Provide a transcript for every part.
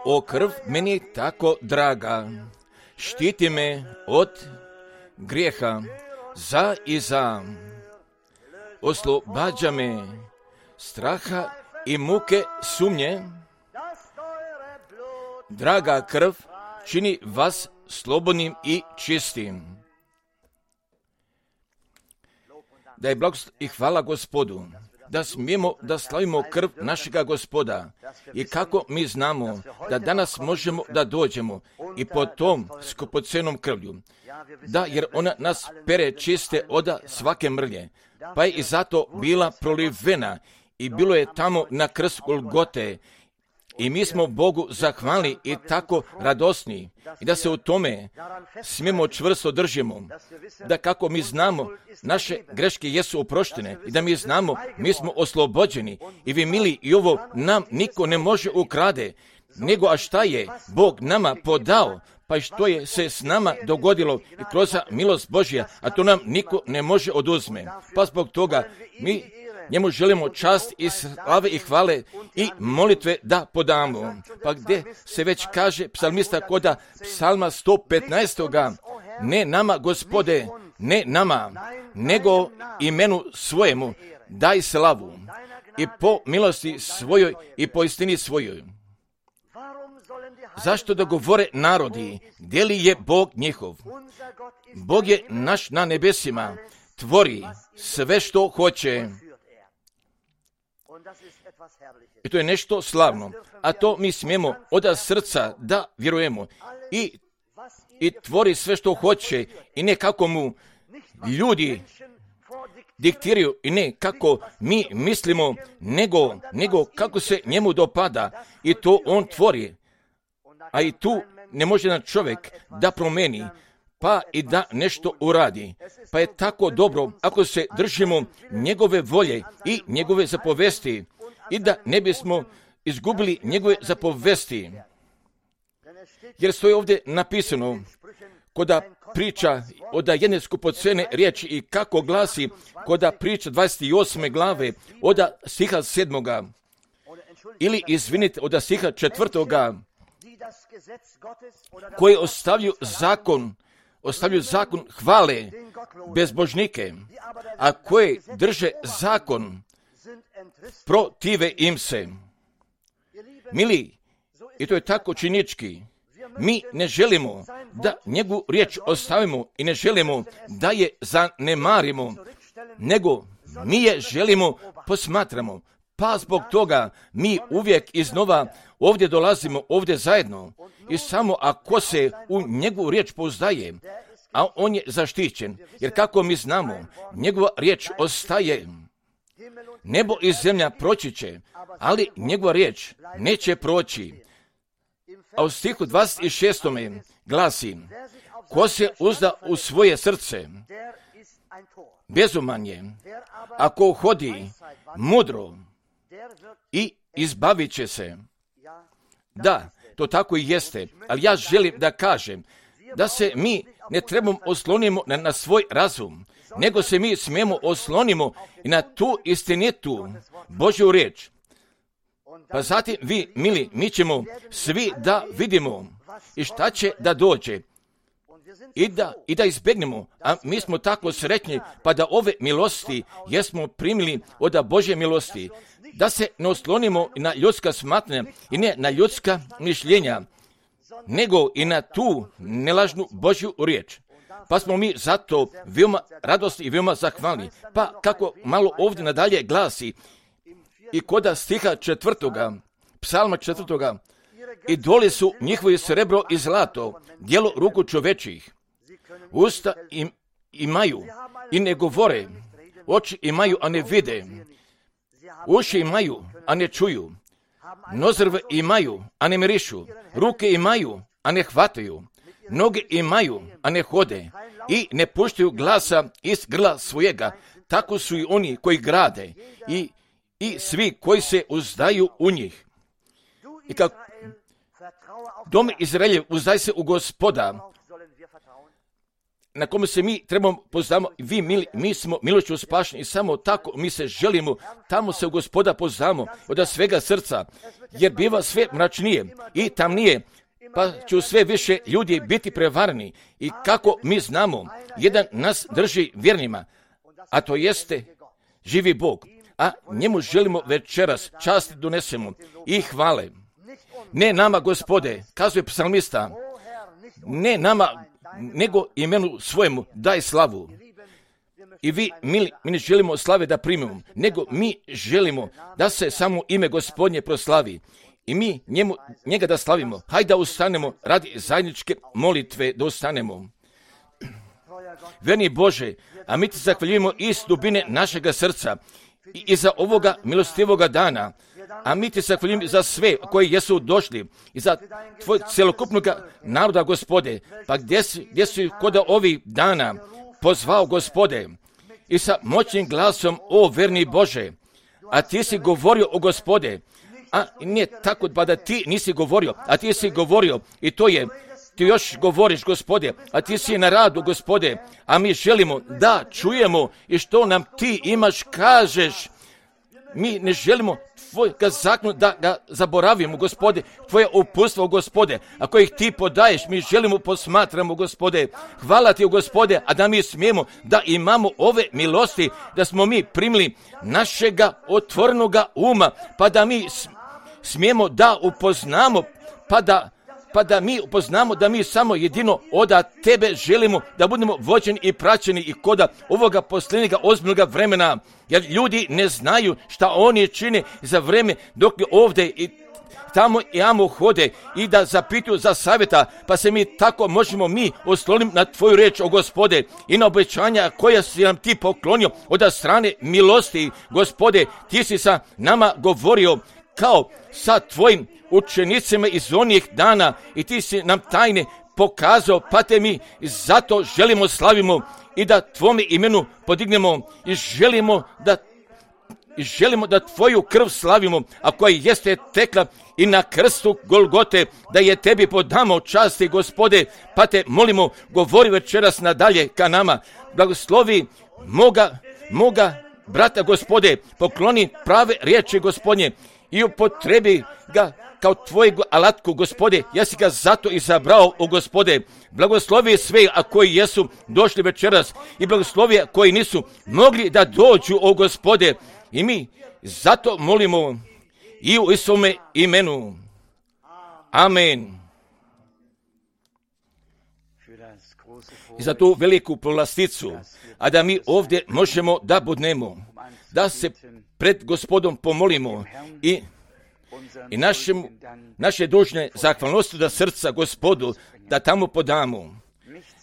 O krv meni tako draga, štiti me od grijeha za i za, oslobađa me straha i muke sumnje. Draga krv čini vas slobodnim i čistim. Da je blagoslov i hvala Gospodu, da smijemo da slavimo krv našega Gospoda i kako mi znamo da danas možemo da dođemo i po tom skupocenom krvlju, da jer ona nas pere čiste od svake mrlje, pa je i zato bila prolivena i bilo je tamo na krst Golgote. I mi smo Bogu zahvalni i tako radosni i da se u tome smijemo čvrsto držimo, da kako mi znamo naše greške jesu oproštene i da mi znamo mi smo oslobođeni i vi mili i ovo nam niko ne može ukrade, nego a šta je Bog nama podao, pa i što je se s nama dogodilo i kroz milost Božja, a to nam niko ne može oduzme. Pa zbog toga mi njemu želimo čast i slave i hvale i molitve da podamo. Pa gdje se već kaže psalmista koda psalma 115. Ne nama, Gospode, ne nama, nego imenu svojemu daj slavu i po milosti svojoj i po istini svojoj. Zašto da govore narodi, gdje li je Bog njihov? Bog je naš na nebesima, tvori sve što hoće. I to je nešto slavno, a to mi smijemo od srca da vjerujemo i tvori sve što hoće i ne kako mu ljudi diktiraju i ne kako mi mislimo, nego kako se njemu dopada i to on tvori. A i tu ne može jedan čovjek da promeni, pa i da nešto uradi. Pa je tako dobro ako se držimo njegove volje i njegove zapovesti i da ne bismo izgubili njegove zapovesti. Jer stoji ovdje napisano koda priča od jedne skupocene riječi i kako glasi koda priča 28. glave od stiha 7. Ili izvinite od stiha 4. koji ostavljaju zakon hvale bezbožnike, a koji drže zakon protive im se. Mili, i to je tako činički, mi ne želimo da njegovu riječ ostavimo i ne želimo da je zanemarimo, nego mi je želimo posmatramo. Pa zbog toga mi uvijek iznova ovdje dolazimo, ovdje zajedno i samo ako se u njegovu riječ pouzdaje, a on je zaštićen, jer kako mi znamo, njegova riječ ostaje. Nebo i zemlja proći će, ali njegova riječ neće proći. A u stihu 26. glasi, ko se uzda u svoje srce, bezuman je, ako hodi mudro i izbavit će se. Da, to tako i jeste, ali ja želim da kažem da se mi ne trebamo oslonimo na svoj razum, nego se mi smijemo oslonimo i na tu istinitu Božju riječ. Pa zatim vi, mili, mi ćemo svi da vidimo i šta će da dođe i da izbjegnemo, a mi smo tako sretni pa da ove milosti jesmo primili od Božje milosti, da se ne oslonimo na ljudska smatranja i ne na ljudska mišljenja, nego i na tu nelažnu Božju riječ. Pa smo mi zato veoma radosni i veoma zahvalni. Pa kako malo ovdje nadalje glasi i koda stiha 4. psalma 4. idoli su njihovi srebro i zlato, djelo ruku čovečih. Usta imaju i ne govore, oči imaju, a ne vide, uši imaju, a ne čuju, nozrve imaju, a ne mirišu, ruke imaju, a ne hvataju, noge imaju, a ne hode i ne puštaju glasa iz grla svojega. Tako su i oni koji grade i svi koji se uzdaju u njih. I kako dom Izraeljev, uzdaj se u Gospoda. na kome se mi trebamo poznamo, mi smo milošću spašeni i samo tako mi se želimo, tamo se u Gospoda poznamo od svega srca, jer biva sve mračnije i tamnije, pa će sve više ljudi biti prevareni. I kako mi znamo, jedan nas drži vjernima, a to jeste živi Bog, a njemu želimo večeras časti donesemo i hvale. Ne nama, Gospode, kazuje psalmista, ne nama, nego imenu svojemu daj slavu. I mi ne želimo slave da primimo, nego mi želimo da se samo ime Gospodnje proslavi. I mi njega da slavimo. Hajde da ustanemo radi zajedničke molitve, da ustanemo. Verni Bože, a mi ti zahvaljujemo iz dubine našega srca i za ovoga milostivoga dana. A mi ti zahvaljujemo za sve koji jesu došli i za tvoj celokupnog naroda, Gospode. Pa gdje si kod ovih dana pozvao, Gospode, i sa moćnim glasom, o verni Bože, a ti si govorio, o Gospode, a nije tako pa da ti nisi govorio, a ti si govorio i to je, ti još govoriš, Gospode, a ti si na radu, Gospode, a mi želimo da čujemo i što nam ti imaš kažeš. Mi ne želimo tvoj zakon da ga zaboravimo, Gospode, tvoje uputstvo, Gospode, ako ih ti podaješ, mi želimo posmatramo, Gospode. Hvala ti, Gospode, a da mi smijemo da imamo ove milosti, da smo mi primili našega otvorenoga uma, pa da mi smijemo da upoznamo, pa da mi upoznamo da mi samo jedino od tebe želimo da budemo vođeni i praćeni i koda ovoga posljednjega ozbiljnog vremena, jer ljudi ne znaju šta oni čine za vreme dok ovdje i tamo i amo hode i da zapituju za savjeta, pa se mi tako možemo mi osloniti na tvoju reč, o Gospode, i na obećanja koja si nam ti poklonio od strane milosti, Gospode. Ti si sa nama govorio kao sa tvojim učenicima iz onih dana i ti si nam tajne pokazao, pa te mi zato želimo slavimo i da tvome imenu podignemo i želimo da tvoju krv slavimo, a koja jeste tekla i na krstu Golgote, da je tebi podamo časti, Gospode, pa te molimo, govori večeras nadalje ka nama, blagoslovi moga brata, Gospode, pokloni prave riječi, Gospodnje, i upotrebi ga kao tvojeg alatku, Gospode, ja si ga zato izabrao, o Gospode. Blagoslovi sve, a koji jesu došli večeras, i blagoslovi koji nisu mogli da dođu, o Gospode. I mi zato molimo i u Isome imenu. Amen. I za tu veliku povlasticu, a da mi ovdje možemo da budnemo, da se pred Gospodom pomolimo i naše dužne zahvalnosti da srca Gospodu da tamo podamo,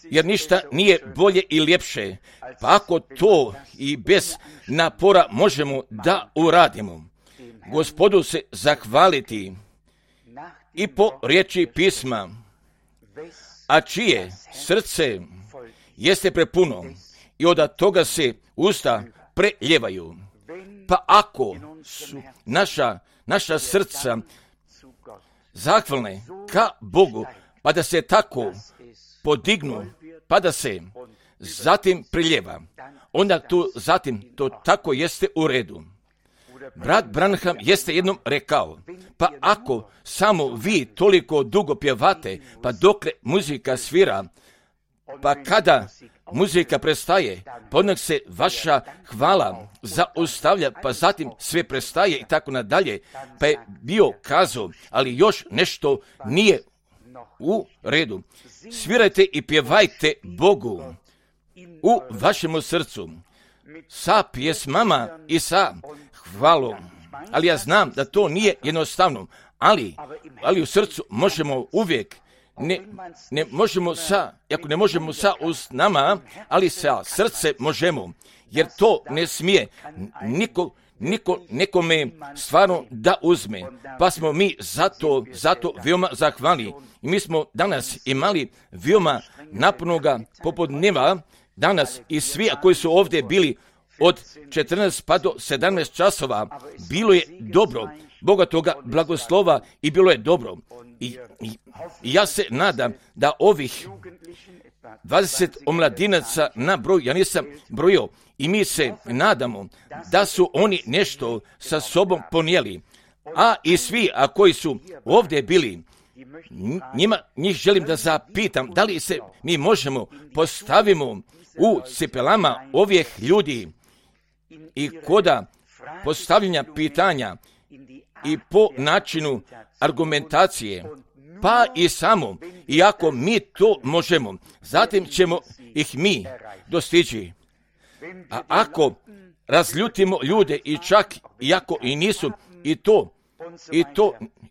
jer ništa nije bolje i ljepše, pa ako to i bez napora možemo da uradimo, Gospodu se zahvaliti i po riječi pisma, a čije srce jeste prepuno i od toga se usta preljevaju. Pa ako su naša srca zahvalne ka Bogu, pa da se tako podignu, pa da se zatim priljeva, onda zatim to tako jeste u redu. Brat Branham jeste jednom rekao, pa ako samo vi toliko dugo pjevate, pa dokle muzika svira, pa kada muzika prestaje, pa odnak se vaša hvala zaustavlja, pa zatim sve prestaje i tako nadalje, pa je bio kazao, ali još nešto nije u redu. Svirajte i pjevajte Bogu u vašemu srcu, sa pjesmama i sa hvalom. Ali ja znam da to nije jednostavno, ali u srcu možemo uvijek, ne možemo ako ne možemo sa usnama, ali sa srce možemo, jer to ne smije nekome stvarno da uzme, pa smo mi zato veoma zahvalni. I mi smo danas imali veoma napornoga popodneva, danas i svi koji su ovdje bili od 14 pa do 17 časova, bilo je dobro, bogatoga blagoslova i bilo je dobro. I ja se nadam da ovih 20 omladinaca na broj, ja nisam brojio, i mi se nadamo da su oni nešto sa sobom ponijeli. A i svi, a koji su ovdje bili, njih želim da zapitam, da li se mi možemo postavimo u cipelama ovih ljudi i koda postavljanja pitanja i po načinu argumentacije, pa i samo, i ako mi to možemo, zatim ćemo ih mi dostići. A ako razljutimo ljude i čak iako i nisu i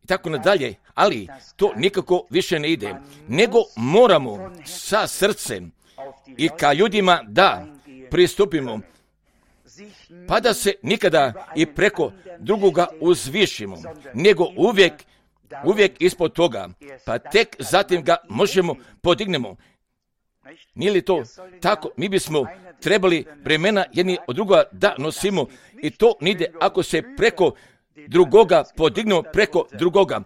tako nadalje, ali to nikako više ne ide, nego moramo sa srcem i ka ljudima da pristupimo, pa da se nikada i preko drugoga uzvišimo, nego uvijek ispod toga, pa tek zatim ga možemo podignemo. Nije li to tako? Mi bismo trebali bremena jedni od drugoga da nosimo i to nide ako se preko drugoga podignemo preko drugoga.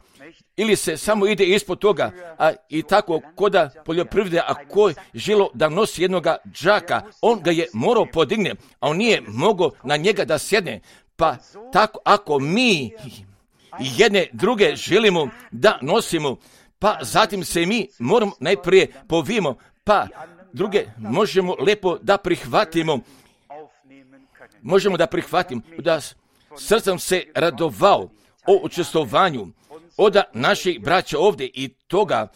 Ili se samo ide ispod toga, a i tako koda poljoprivrede, a ko je želo da nosi jednoga džaka, on ga je morao podigne, a on nije mogao na njega da sjedne. Pa tako ako mi jedne druge želimo da nosimo, pa zatim se mi moramo najprije povimo, pa druge možemo lepo da prihvatimo. Možemo da prihvatimo, da srcem se radovao o učestvovanju od naših braća ovdje i toga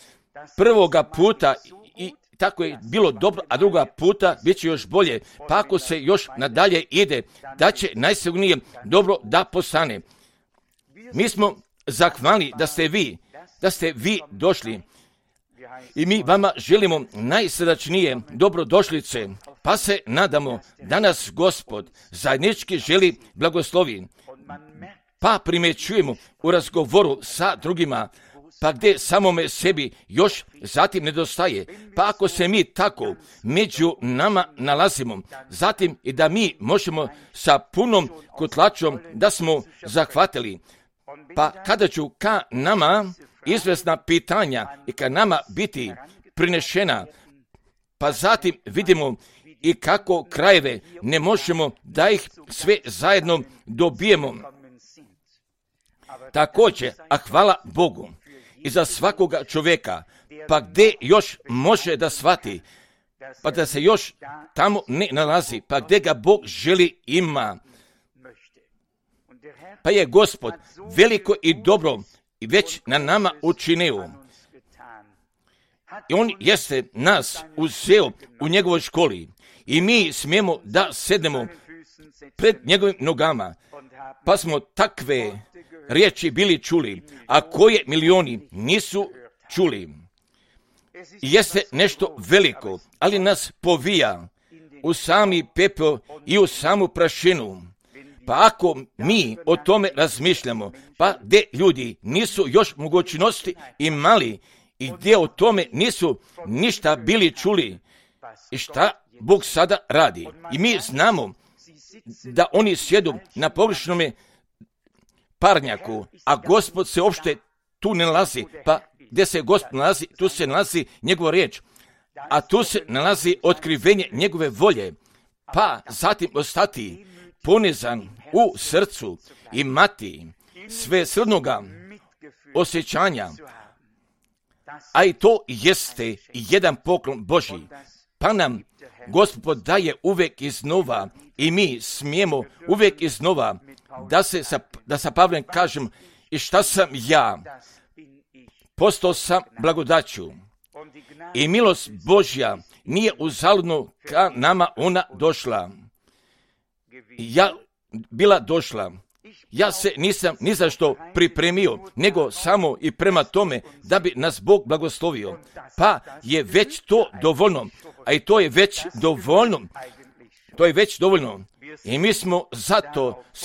prvoga puta i tako je bilo dobro, a druga puta bit će još bolje. Pa ako se još nadalje ide, da će najsigurnije dobro da postane. Mi smo zahvalni da ste vi došli i mi vama želimo najsrdačnije dobrodošlice, pa se nadamo da nas Gospod zajednički želi blagoslovi. Pa primjećujemo u razgovoru sa drugima, pa gdje samome sebi još zatim nedostaje. Pa ako se mi tako među nama nalazimo, zatim i da mi možemo sa punom kotlačom da smo zahvatili. Pa kada ću ka nama izvesna pitanja i ka nama biti prinešena, pa zatim vidimo i kako krajeve ne možemo da ih sve zajedno dobijemo. Također, a hvala Bogu i za svakoga čovjeka, pa gdje još može da shvati, pa da se još tamo ne nalazi, pa gdje ga Bog želi ima. Pa je Gospod veliko i dobro i već na nama učinio. I on jeste nas uzeo u njegovoj školi i mi smijemo da sednemo pred njegovim nogama, pa smo takve riječi bili čuli, a koje milioni nisu čuli. Jeste nešto veliko, ali nas povija u sami pepeo i u samu prašinu. Pa ako mi o tome razmišljamo, pa gdje ljudi nisu još mogućnosti imali i gdje o tome nisu ništa bili čuli i šta Bog sada radi. I mi znamo da oni sjedu na pogrešnom parnjaku, a Gospod se uopšte tu ne nalazi. Pa gdje se Gospod nalazi, tu se nalazi njegova riječ, a tu se nalazi otkrivenje njegove volje. Pa zatim ostati ponizan u srcu, imati sve srdnoga osjećanja, a i to jeste jedan poklon Božji. Pa nam Gospod daje uvijek iznova i mi smijemo uvijek iznova da sa Pavlem kažem i šta sam ja, postao sam blagodaću i milost Božja nije uzaludno ka nama ona došla. Ja bila došla. Ja se nisam ni za što pripremio, nego samo i prema tome da bi nas Bog blagoslovio. Pa je već to dovoljno, a i to je već dovoljno. To je već dovoljno. I mi smo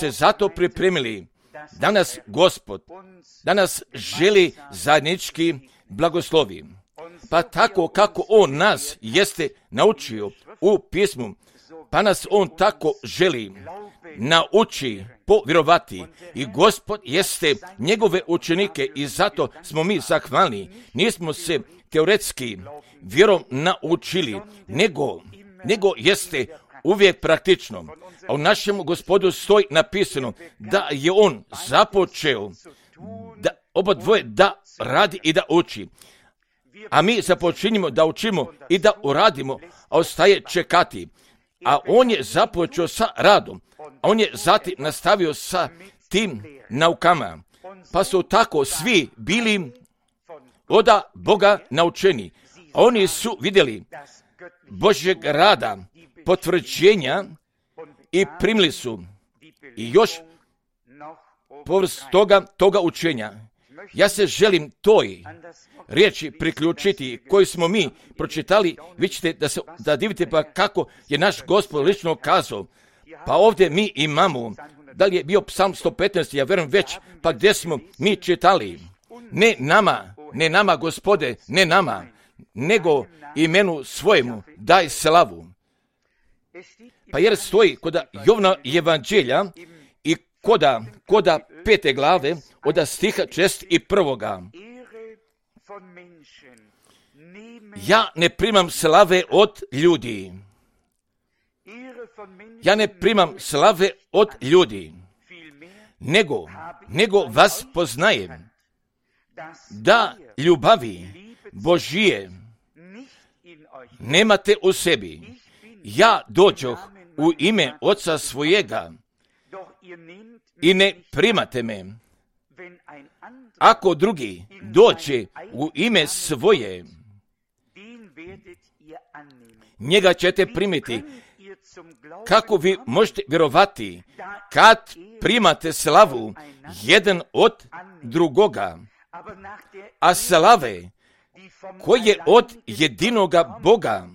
zato pripremili. Danas Gospod, danas želi zajednički blagoslovi. Pa tako kako On nas jeste naučio u pismu, pa nas on tako želi nauči povjerovati. I Gospod jeste njegove učenike i zato smo mi zahvalni. Nismo se teoretski vjerom naučili, nego jeste uvijek praktično. A u našem Gospodu stoji napisano da je on započeo da oba dvoje da radi i da uči. A mi započinjemo da učimo i da uradimo, a ostaje čekati. A on je započeo sa radom, a on je zatim nastavio sa tim naukama. Pa su tako svi bili od Boga naučeni. A oni su vidjeli Božjeg rada, potvrđenja i primili su i još povrst toga učenja. Ja se želim toj riječi priključiti koju smo mi pročitali. Vi ćete da divite pa kako je naš Gospod lično kazao. Pa ovdje mi imamo, da li je bio Psalm 115, ja vjerujem već, pa gdje smo mi čitali. Ne nama, Gospode, ne nama, nego imenu svojemu daj slavu. Pa jer stoji kod Jovna evanđelja i koda 5. glave od stiha 61. Ja ne primam slave od ljudi. Ja ne primam slave od ljudi, nego vas poznajem, da ljubavi Božije nemate u sebi. Ja dođoh u ime Oca svojega i ne primate me. Ako drugi dođe u ime svoje, njega ćete primiti. Kako vi možete vjerovati kad primate slavu jedan od drugoga, a slave koje od jedinoga Boga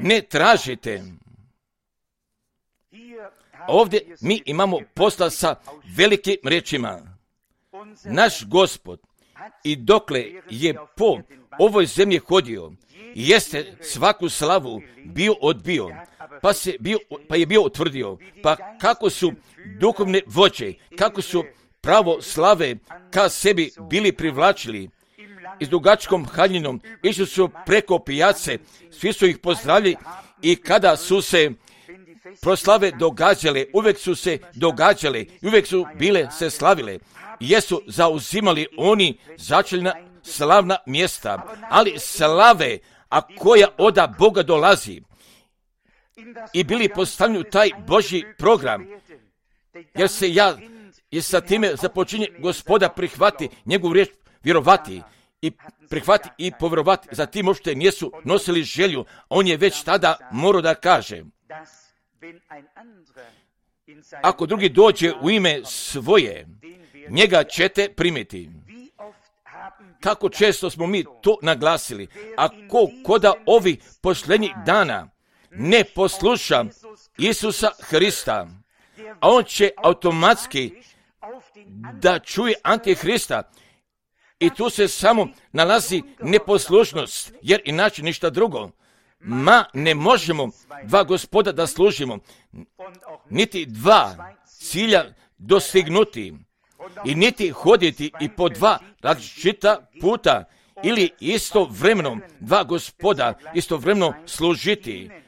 ne tražite? Ovdje mi imamo posla sa velikim riječima. Naš Gospod i dokle je po ovoj zemlji hodio, jeste svaku slavu bio odbio, pa je bio utvrdio. Pa kako su duhovne vođe, kako su pravo slave ka sebi bili privlačili i s dugačkom haljinom, išli su preko pijace, svi su ih pozdravili i kada su se proslave događale, uvijek su se događale i uvijek su bile se slavile. Jesu zauzimali oni začeljna slavna mjesta, ali slave, a koja od Boga dolazi, i bili postavljeni u taj Božji program, jer sa time započinje Gospoda prihvati njegovu riječ, vjerovati i prihvati i povjerovati. Zatim uopšte nisu nosili želju, on je već tada morao da kaže, ako drugi dođe u ime svoje, njega ćete primiti. Kako često smo mi to naglasili. Ako koda ovih posljednjih dana ne posluša Isusa Hrista, a on će automatski da čuje Antihrista, i tu se samo nalazi neposlušnost, jer inače ništa drugo. Ne možemo dva Gospoda da služimo, niti dva cilja dostignuti, i niti hoditi i po dva različita puta, ili istovremeno dva Gospoda istovremeno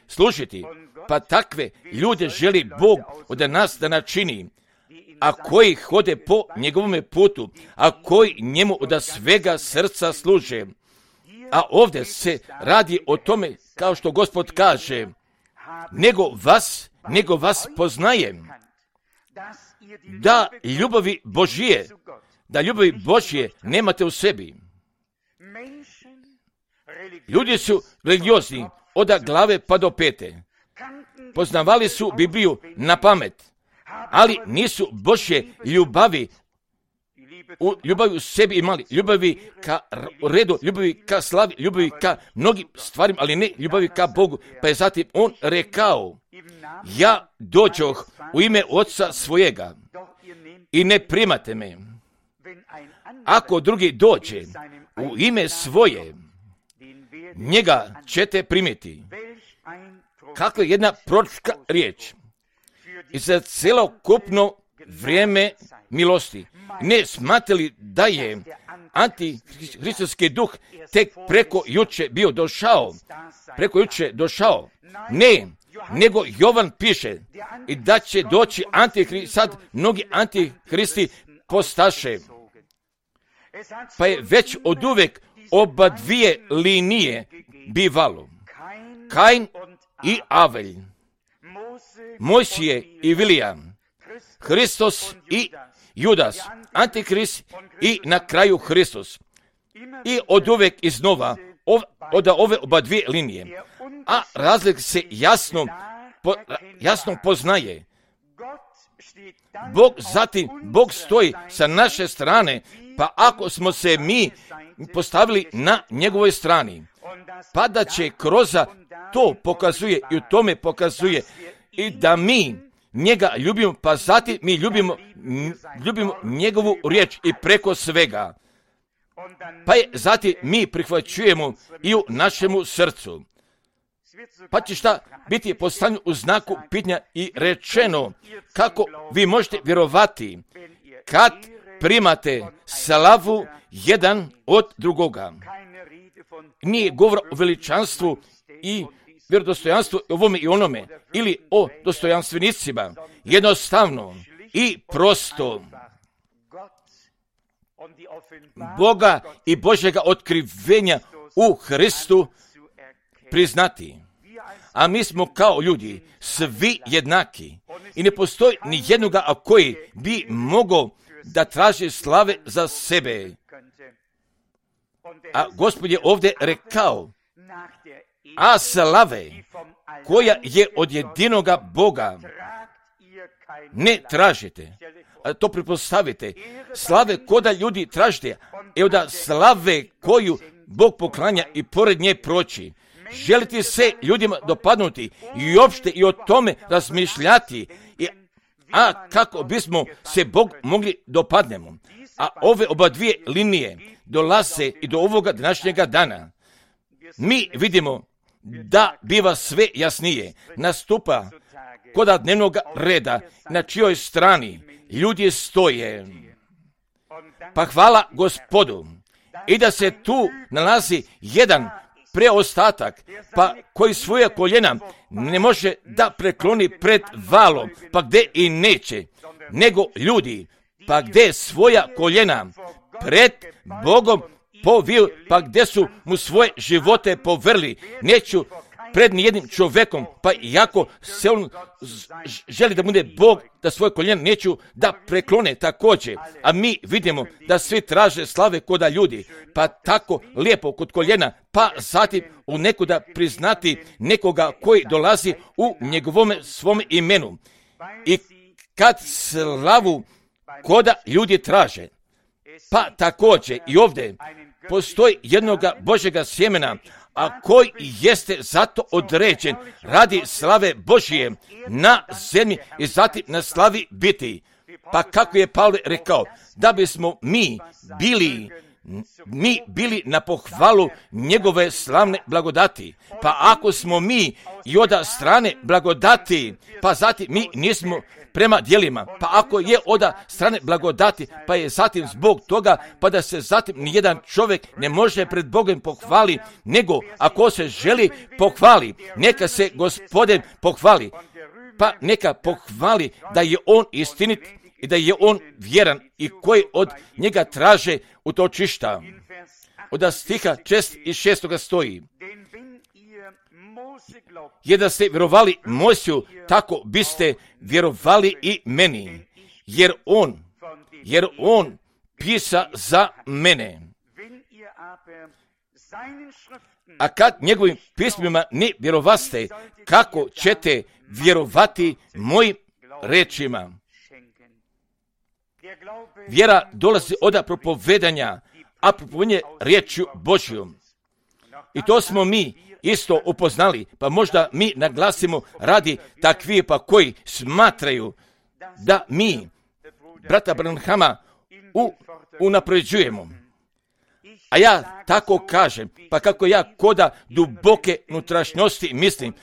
služiti. Pa takve ljude želi Bog od nas da načini, a koji hode po njegovome putu, a koji njemu od svega srca služe. A ovdje se radi o tome, kao što Gospod kaže, nego vas poznajem, da ljubavi Božje nemate u sebi. Ljudi su religiozni od glave pa do pete. Poznavali su Bibliju na pamet, ali nisu Božje ljubavi u sebi imali. Ljubavi ka redu, ljubavi ka slavi, ljubavi ka mnogim stvarima, ali ne ljubavi ka Bogu. Pa je zatim on rekao, ja dođoh u ime Oca svojega i ne primate me. Ako drugi dođe u ime svoje, njega ćete primiti. kakva je jedna proročka riječ i za celokupno vrijeme milosti. Ne smatrali da je antihristovski duh tek preko juče došao. Ne, nego Jovan piše i da će doći antihrist, sad mnogi antihristi postaše. Pa je već od uvek oba dvije linije bivalo. Kain i Avelj, Mojsije i Vilija, Hristos i Judas, Antikrist i na kraju Hristos. I od uvek iznova od ove oba dvije linije. A razlik se jasno poznaje. Bog stoji sa naše strane, pa ako smo se mi postavili na njegovoj strani, pa da će kroz to pokazuje i u tome pokazuje i da mi njega ljubimo, pa zatim mi ljubimo njegovu riječ i preko svega. Pa je zatim mi prihvaćujemo i u našemu srcu. Pa će šta biti postavljeno u znaku pitanja i rečeno kako vi možete vjerovati kad primate slavu jedan od drugoga. Nije govor o veličanstvu i vjerodostojanstvu ovome i onome ili o dostojanstvenicima. Jednostavno i prosto Boga i Božjega otkrivenja u Hristu priznati. A mi smo kao ljudi svi jednaki i ne postoji ni jednoga koji bi mogao da traži slave za sebe. A Gospod je ovdje rekao, a slave koja je od jedinoga Boga ne tražite. A to pretpostavite. Slave koda ljudi tražite, evo da slave koju Bog poklanja i pored nje proći. Želite se ljudima dopadnuti i uopšte i o tome razmišljati, a kako bismo se Bog mogli dopadnemo. A ove oba dvije linije dolaze i do ovoga današnjega dana. Mi vidimo da biva sve jasnije. Nastupa koda dnevnog reda na čijoj strani ljudi stoje. Pa hvala Gospodu i da se tu nalazi jedan preostatak, pa koji svoja koljena ne može da prekloni pred valom, pa gde i neće, nego ljudi, pa gde svoja koljena pred Bogom poviju, pa gde su mu svoje živote povrli, neću pred nijednim čovjekom, pa iako se on želi da bude Bog, da svoje koljena neću da preklone također. A mi vidimo da svi traže slave koda ljudi, pa tako lijepo kod koljena, pa zatim u nekuda priznati nekoga koji dolazi u njegovome svom imenu. I kad slavu koda ljudi traže, pa također i ovdje postoji jednoga Božjega sjemena, a koji jeste zato određen radi slave Božije na zemlji i zatim na slavi biti. Pa kako je Pavle rekao, da bismo mi bili na pohvalu njegove slavne blagodati. Pa ako smo mi i od strane blagodati, pa zatim mi nismo prema djelima. Pa ako je od strane blagodati, pa je zatim zbog toga, pa da se zatim nijedan čovjek ne može pred Bogom pohvali, nego ako se želi pohvali, neka se Gospodin pohvali. Pa neka pohvali da je on istinit i da je on vjeran i koji od njega traže utočišta. Od stiha 6 i 6 stoji. Je da ste vjerovali Mojsiju, tako biste vjerovali i meni, jer on pisa za mene. A kad njegovim pismima ne vjerovaste, kako ćete vjerovati mojim rečima? Vjera dolazi od propovedanja, a propovedanje riječju Božjom. I to smo mi isto upoznali, pa možda mi naglasimo radi takvih pa koji smatraju da mi brata Branhama unapređujemo. A ja tako kažem, pa kako ja koda duboke unutrašnjosti mislim,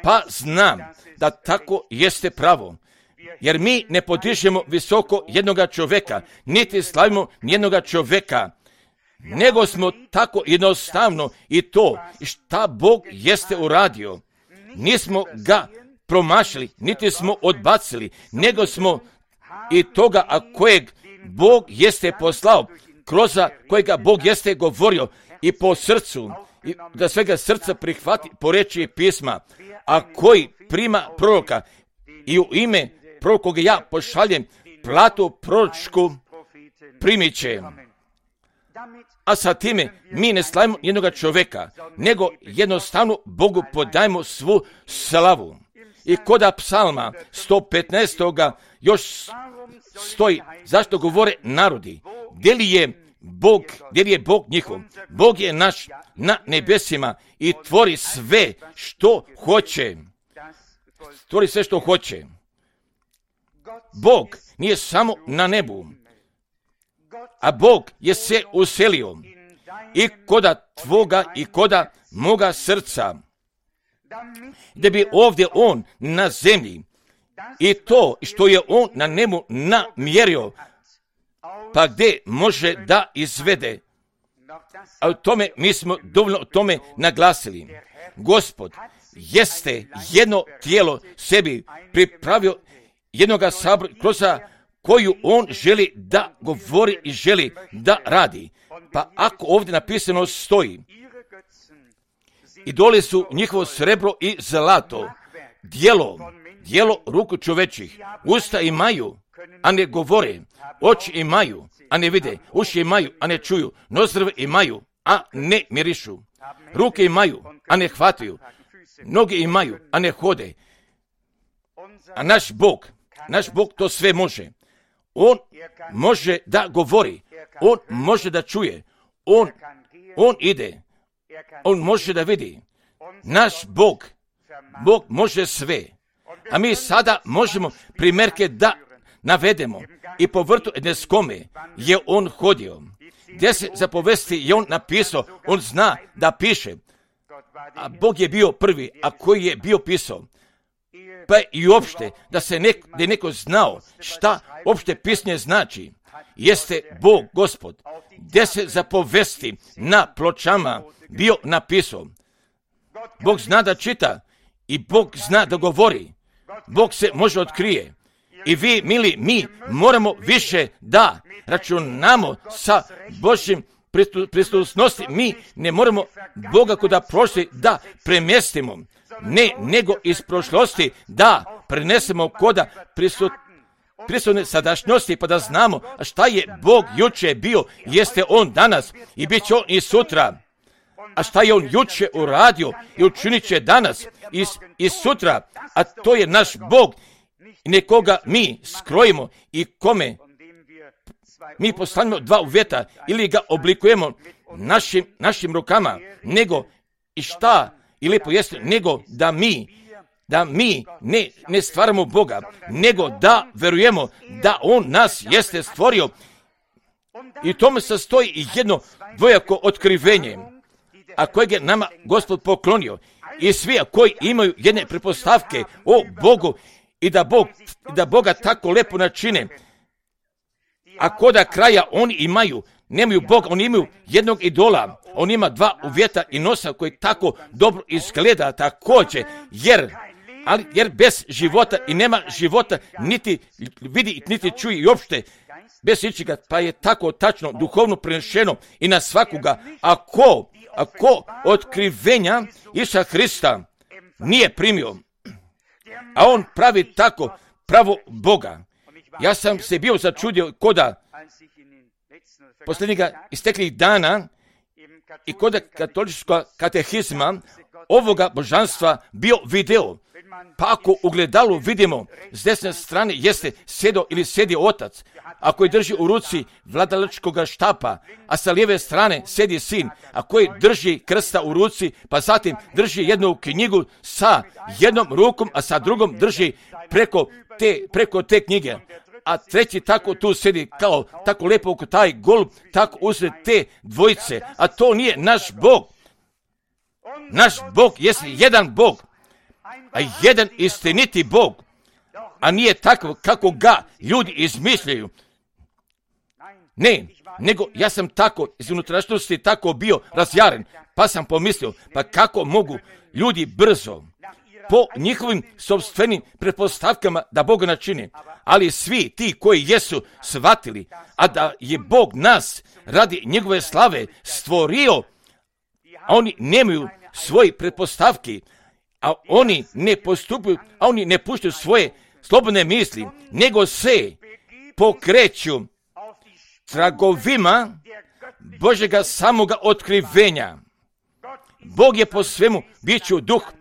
Pa znam da tako jeste pravo. Jer mi ne podižemo visoko jednoga čovjeka, niti slavimo jednoga čovjeka, nego smo tako jednostavno i to šta Bog jeste uradio. Nismo ga promašili, niti smo odbacili, nego smo i toga, a kojeg Bog jeste poslao, kroz kojega Bog jeste govorio i po srcu, i da svega srca prihvati po reči pisma, a koji prima proroka i u ime prorok koga ja pošaljem platu proročku primit će. A sa time mi ne slavimo jednoga čovjeka, nego jednostavno Bogu podajemo svu slavu. I koda psalma 115. još stoji, zašto govore narodi, gdje li je Bog njihov? Bog je naš na nebesima i tvori sve što hoće. Tvori sve što hoće. Bog nije samo na nebu, a Bog je se uselio i koda tvoga i koda moga srca, da bi ovdje on na zemlji i to što je on na nebu namjerio, pa gdje može da izvede. A u tome mi smo dovoljno o tome naglasili. Gospod jeste jedno tijelo sebi pripravio jednoga sabora kroz koju on želi da govori i želi da radi. Pa ako ovdje napisano stoji, idoli su njihovo srebro i zlato, djelo ruku čovečih, usta imaju, a ne govore, oči imaju, a ne vide, uši imaju, a ne čuju, nozdrve imaju, a ne mirišu, ruke imaju, a ne hvataju, noge imaju, a ne hode. A naš Bog to sve može. On može da govori, on može da čuje, on ide, on može da vidi. Naš Bog može sve. A mi sada možemo primjerke da navedemo i po vrtu Edeskome je on hodio. 10 zapovesti je on napisao, on zna da piše. A Bog je bio prvi, a koji je bio pisao. Pa i uopšte, da je neko znao šta opšte pisanje znači, jeste Bog, Gospod. 10 zapovesti na pločama bio napisao. Bog zna da čita i Bog zna da govori. Bog se može otkrije. I vi, mili, mi moramo više da računamo sa Božjim prisutnosti. Mi ne moramo Boga koda prošli da premjestimo. Ne, nego iz prošlosti da prenesemo koda prisutne sadašnjosti, pa da znamo šta je Bog juče bio, jeste on danas i bit će on i sutra. A šta je on juče uradio i učinit će danas i sutra, a to je naš Bog, nekoga mi skrojimo i kome mi postavimo dva uvjeta ili ga oblikujemo našim rukama, nego i šta i lijepo jeste, nego da mi ne stvaramo Boga, nego da verujemo da on nas jeste stvorio. I tome sastoji i jedno dvojako otkrivenje, a kojeg je nama Gospod poklonio. I svi koji imaju jedne pretpostavke o Bogu i da Boga tako lepo načine, a koda kraja oni nemaju Boga, oni imaju jednog idola, on ima dva uvjeta i nosa koji tako dobro izgleda također, jer bez života i nema života, niti vidi, niti čuje i uopšte bez ičega, pa je tako tačno duhovno prenešeno i na svakoga. Ako otkrivenja Isusa Hrista nije primio, a on pravi tako pravo Boga. Ja sam se bio začudio koda posljednjega isteklih dana i koda katoličkog katehizma ovoga božanstva bio video. Pa ako u gledalu vidimo s desne strane jeste sjedio otac, a koji drži u ruci vladalačkog štapa, a sa lijeve strane sjedi sin, a koji drži krsta u ruci, pa zatim drži jednu knjigu sa jednom rukom, a sa drugom drži preko te knjige. A treći tako tu sjedi kao tako lepo oko taj golub, tako usred te dvojice, a to nije naš Bog. Naš Bog jest jedan Bog, a jedan istiniti Bog, a nije takav kako ga ljudi izmišljaju. Ne, nego ja sam tako iz unutrašnjosti tako bio razjaren, pa sam pomislio, pa kako mogu ljudi brzo po njihovim sopstvenim pretpostavkama da Boga načine, ali svi ti koji jesu shvatili, a da je Bog nas radi njegove slave stvorio, a oni nemaju svoje pretpostavke, a oni ne postupaju, a oni ne puštaju svoje slobodne misli, nego se pokreću tragovima Božjega samoga otkrivenja. Bog je po svemu biću duh,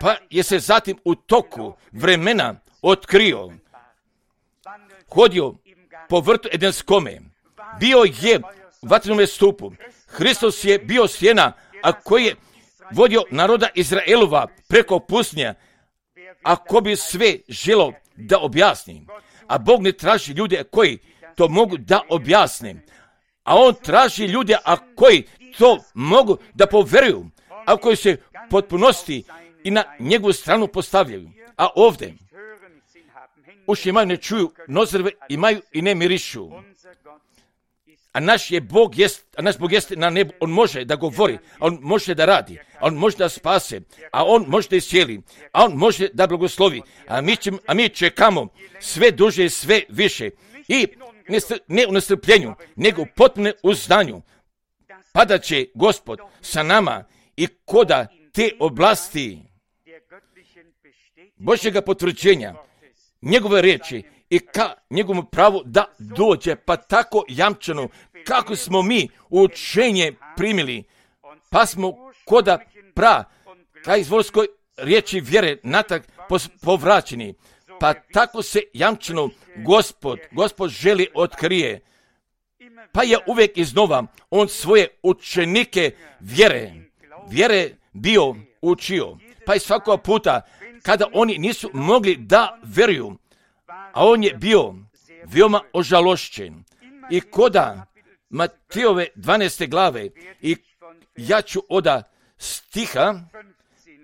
pa je se zatim u toku vremena otkrio, hodio po vrtu Edenskome, bio je u vatrenome stupu. Hristos je bio sjena, a koji je vodio naroda Izraelova preko pustinje, ako bi sve želo da objasni. A Bog ne traži ljude koji to mogu da objasne, a On traži ljude a koji to mogu da poveruju, a koji se potpunosti i na njegovu stranu postavljaju. A ovdje uši imaju, ne čuju, nozrve imaju i ne mirišu. A naš Bog jest na nebu, On može da govori, a On može da radi, a On može da spase, a On može da iscijeli, a On može da blagoslovi, a mi čekamo sve duže i sve više i ne u nestrpljenju, nego potpuno u znanju, pa da će Gospod sa nama i koda te oblasti Božjega potvrđenja, njegove riječi i ka njegovom pravu da dođe, pa tako jamčano kako smo mi učenje primili, pa smo koda ka izvorskoj riječi vjere natrag povraćeni, pa tako se jamčano Gospod želi otkrije, pa je uvijek iznova On svoje učenike vjere bio učio, pa i svakog puta kada oni nisu mogli da veruju, a On je bio veoma ožalošćen. I koda Matejove 12. glave, i ja ću od stiha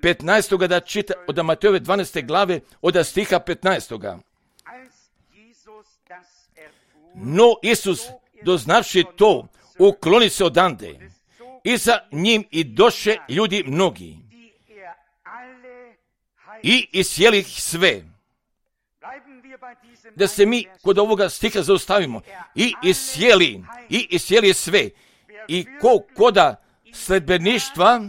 15. da čita, od Matejove 12. glave, od stiha 15. No Isus, doznavši to, ukloni se odande, i za njim i doše ljudi mnogi, i isjeli ih sve. Da se mi kod ovoga stiha zaustavimo. I isjeli sve. I koda sledbeništva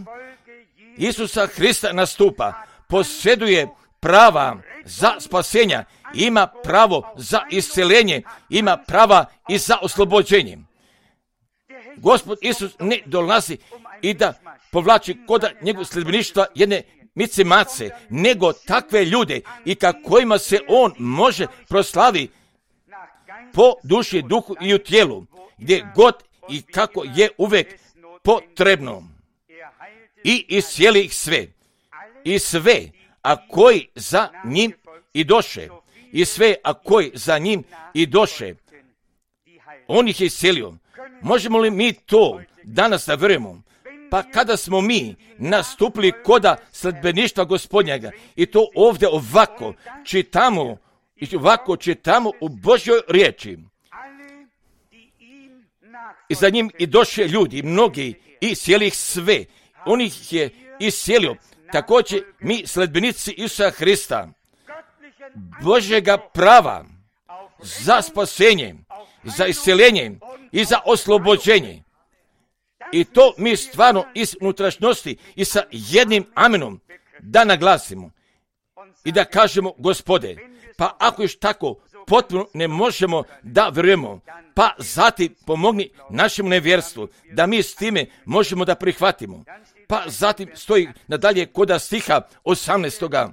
Isusa Hrista nastupa, posjeduje prava za spasenja, ima pravo za isceljenje, ima prava i za oslobođenje. Gospod Isus ne dolazi i da povlači koda njegovog sledbeništva jedne mice mace, nego takve ljude i kojima se On može proslavi po duši, duhu i u tijelu, gdje god i kako je uvijek potrebno. I iscijeli ih sve. I sve, a koji za njim i doše. I sve, a koji za njim i doše. On ih je iscijelio. Možemo li mi to danas da verujemo? Pa kada smo mi nastupili koda sledbeništva Gospodnjega i to ovdje ovako čitamo u Božjoj riječi. I za njim i došli ljudi, mnogi, i sjeli ih sve. On ih je iscijelio. Također mi sledbenici Isusa Hrista, Božjega prava za spasenje, za isceljenje i za oslobođenje. I to mi stvarno iz unutrašnjosti i sa jednim amenom da naglasimo i da kažemo: Gospode, pa ako još tako potpuno ne možemo da vjerujemo, pa zatim pomogni našem nevjerstvu da mi s time možemo da prihvatimo. Pa zatim stoji nadalje koda stiha 18.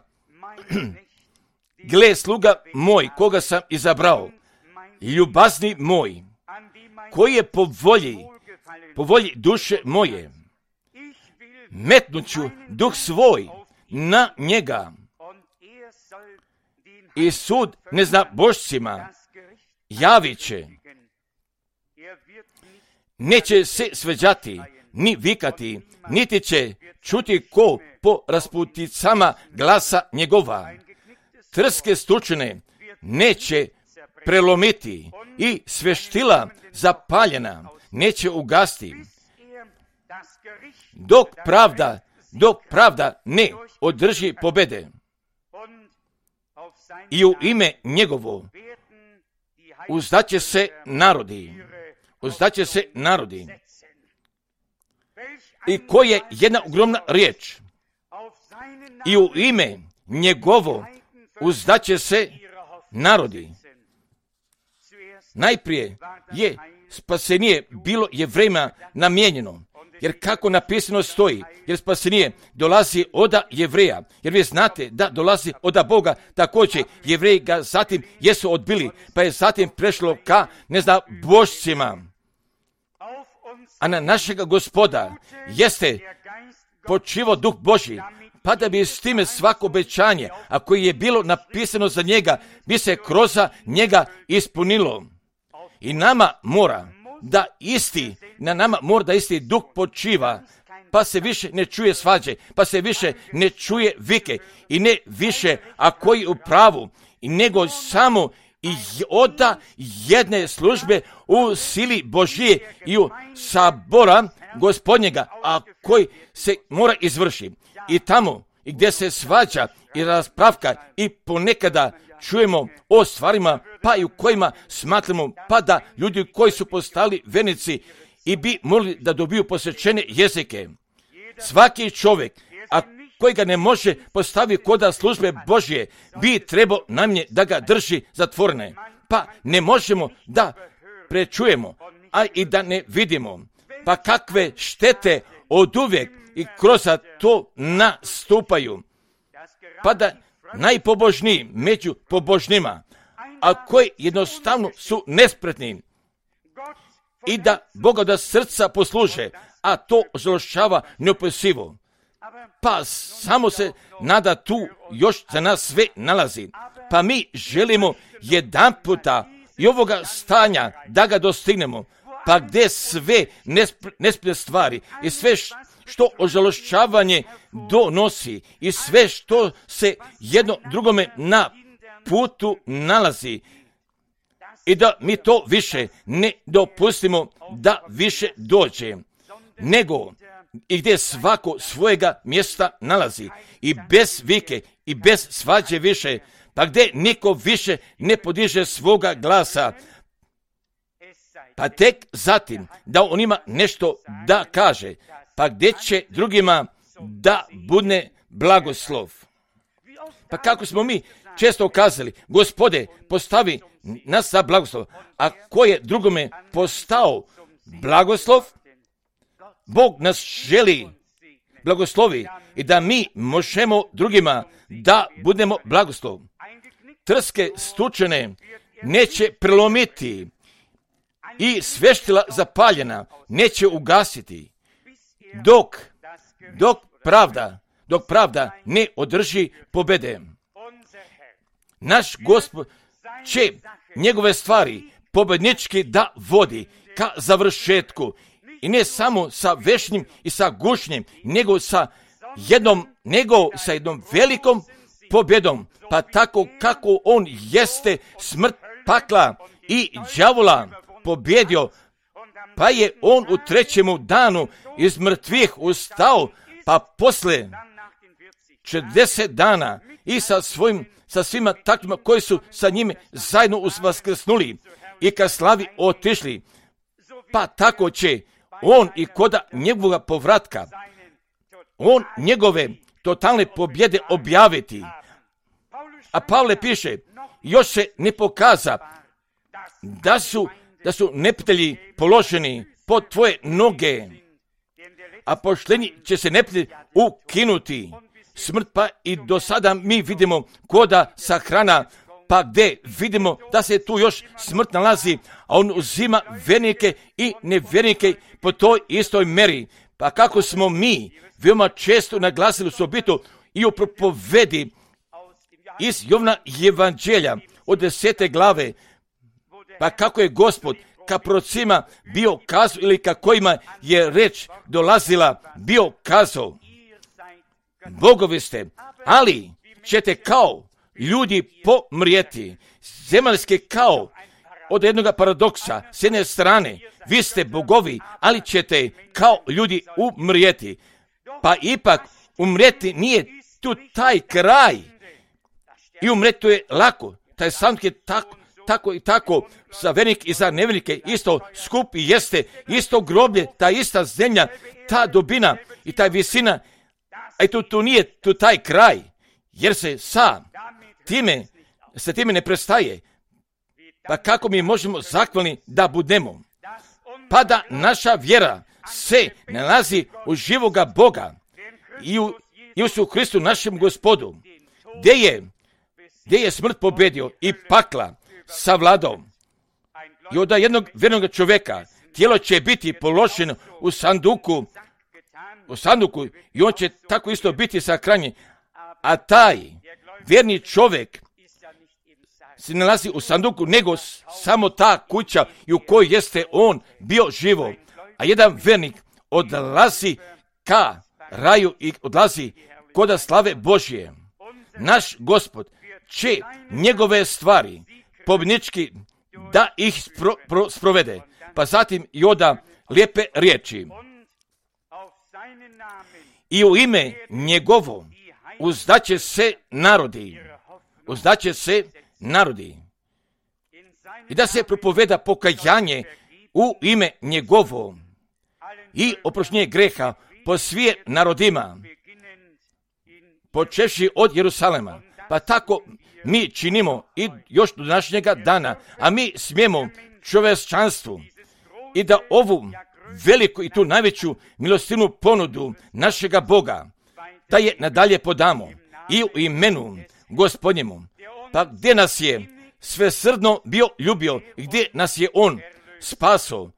Gle, sluga moj, koga sam izabrao, ljubazni moj, koji je po volji duše moje, metnuću duh svoj na njega i sud neznabošcima javit će. neće se sveđati, ni vikati, niti će čuti ko po rasputicama glasa njegova. Trske stučene neće prelomiti i sveštila zapaljena neće ugasti. Dok pravda ne održi pobede. I u ime njegovo uzdaće se narodi. I ko je jedna ogromna riječ. I u ime njegovo uzdaće se narodi. Najprije je spasenije bilo Jevrejima namijenjeno. Jer kako napisano stoji, jer spasenije dolazi od Jevreja. Jer vi znate da dolazi od Boga, također Jevreji ga zatim jesu odbili, pa je zatim prešlo ka božcima. A na našega Gospoda jeste počivao Duh Božji, pa da bi s time svako obećanje, a koje je bilo napisano za njega, bi se kroz njega ispunilo. I nama mora da isti duh počiva, pa se više ne čuje svađe, pa se više ne čuje vike i ne više, a koji u pravu, nego samo i od jedne službe u sili Božije i u sabora Gospodnjega, a koji se mora izvrši. I tamo i gdje se svađa i raspravka i ponekada čujemo o stvarima pa i u kojima smatramo pa da ljudi koji su postali vernici i bi mogli da dobiju posvećene jezike. Svaki čovjek, a koji ga ne može postaviti kod službe Božje, bi trebao najmanje da ga drži zatvorene. Pa ne možemo da prečujemo, a i da ne vidimo. Pa kakve štete oduvijek i kroz to nastupaju. Pa da najpobožniji među pobožnima, a koji jednostavno su nespretni i da Boga da srca posluže, a to žalošćava neopisivo. Pa samo se nada tu još za nas sve nalazi. Pa mi želimo jedan puta i ovoga stanja da ga dostignemo, pa gdje sve nespretne stvari i sve što ožalošćavanje donosi i sve što se jedno drugome na putu nalazi i da mi to više ne dopustimo da više dođe, nego i gdje svako svojega mjesta nalazi i bez vike i bez svađe više, pa gdje niko više ne podiže svoga glasa, pa tek zatim da on ima nešto da kaže, pa gdje će drugima da bude blagoslov. Pa kako smo mi često ukazali, Gospode, postavi nas za blagoslov, a ko je drugome postao blagoslov, Bog nas želi blagoslovi i da mi možemo drugima da budemo blagoslov. Trske stučene neće prelomiti i sveštila zapaljena neće ugasiti, dok pravda ne održi pobede. Naš Gospod će njegove stvari pobednički da vodi ka završetku i ne samo sa vešnjim i sa gušnjim, nego sa jednom velikom pobjedom, pa tako kako on jeste smrt, pakla i đavola pobjedio, pa je on u 3. danu iz mrtvih ustao, pa posle 40 dana i sa svima takvima koji su sa njime zajedno uskrsnuli i ka slavi otišli, pa tako će on i koda njegovog povratka, on njegove totalne pobjede objaviti. A Pavle piše, još se ne pokaza da su neprijatelji položeni pod tvoje noge, a pošteni će se neprijatelji ukinuti. Smrt pa i do sada mi vidimo koda sahrana, pa gdje vidimo da se tu još smrt nalazi, a on uzima vernike i nevjernike po toj istoj meri. Pa kako smo mi veoma često naglasili u sobitu i u propovedi iz Jovna evanđelja od 10. glave, pa kako je Gospod ka prorocima bio kazao ili ka kojima je reč dolazila bio kazao, bogovi ste, ali ćete kao ljudi pomrijeti. Zemaljske kao od jednog paradoksa, s jedne strane, vi ste bogovi, ali ćete kao ljudi umrijeti. Pa ipak umrijeti nije tu taj kraj. I umrijeti to je lako. Taj sam je tako i tako, za vernik i za nevernike, isto skup i jeste, isto groblje, ta ista zemlja, ta dubina i ta visina, a tu nije tu taj kraj, jer se sa time ne prestaje. Pa kako mi možemo zahvalni da budemo? Pa da naša vjera se nalazi u živoga Boga i u Isusu Hristu našem Gospodu, gdje je smrt pobedio i pakla savladao. I od jednog vjernog čovjeka tijelo će biti položeno u sanduku i on će tako isto biti sahranjen. A taj vjerni čovjek se nalazi u sanduku, nego samo ta kuća i u kojoj jeste on bio živo. A jedan vjernik odlazi ka raju i odlazi kod slave Božje. Naš Gospod će njegove stvari pobjednički da ih sprovede, pa zatim i oda lijepe riječi. I u ime njegovo uzdaće se narodi. I da se propoveda pokajanje u ime njegovo i oproštenje greha po svim narodima, počevši od Jerusalema. Pa tako mi činimo i još do današnjega dana, a mi smijemo čovječanstvu i da ovu veliku i tu najveću milostivnu ponudu našega Boga, da je nadalje podamo i u imenu Gospodnjemu. Pa gdje nas je svesrdno bio ljubio i gdje nas je on spaso,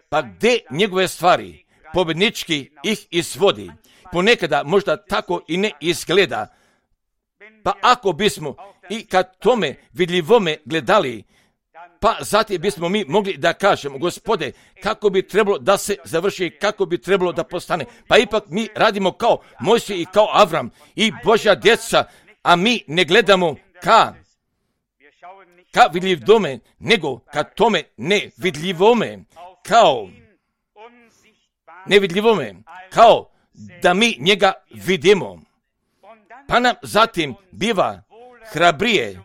pa gdje njegove stvari pobjednički ih izvodi. Ponekada možda tako i ne izgleda. Pa ako bismo i kad tome vidljivome gledali, pa zatim bismo mi mogli da kažemo, Gospode, kako bi trebalo da se završi, kako bi trebalo da postane. Pa ipak mi radimo kao Mojsije i kao Avram i Božja djeca, a mi ne gledamo ka vidljivome, nego ka tome nevidljivome, kao da mi njega vidimo. Pa nam zatim biva hrabrije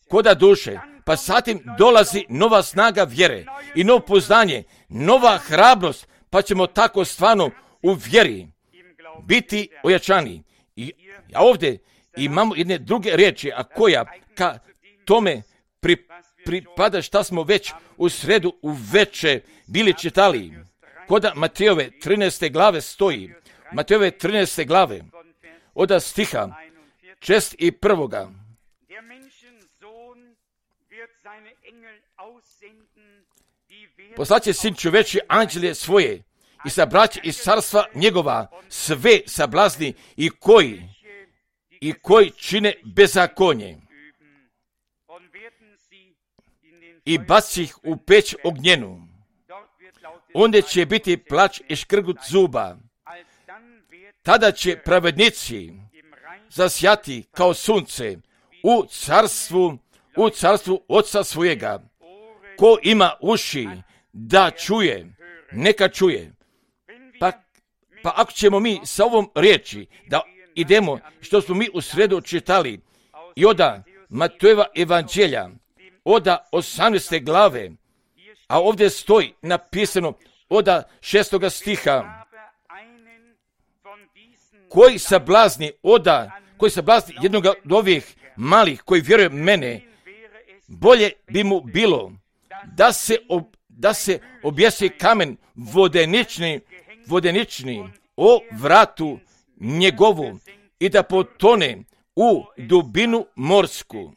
koda duše, pa zatim dolazi nova snaga vjere i novo poznanje, nova hrabrost, pa ćemo tako stvarno u vjeri biti ojačani. A ovdje imamo jedne druge riječi, a koja ka tome pripada šta smo već u sredu uveče bili čitali. Koda Matejove 13. glave stoji, Matejove 13. glave, od stiha 61. Poslaće sin čoveči anđele svoje i sabraće iz carstva njegova sve sablazni i koji čine bezakonje i baci ih u peć ognjenu. Onda će biti plač i škrgut zuba. Tada će pravednici zasjati kao sunce u carstvu Oca svojega. Ko ima uši da čuje, neka čuje. Pa ako ćemo mi sa ovom riječi da idemo, što smo mi u sredu čitali, i oda Matejeva evanđelja, oda 18. glave, a ovdje stoji napisano oda 6. stiha, koji sablazni jednog od ovih malih koji vjeruje mene, bolje bi mu bilo da se objesi kamen vodenični o vratu njegovu i da potone u dubinu morsku.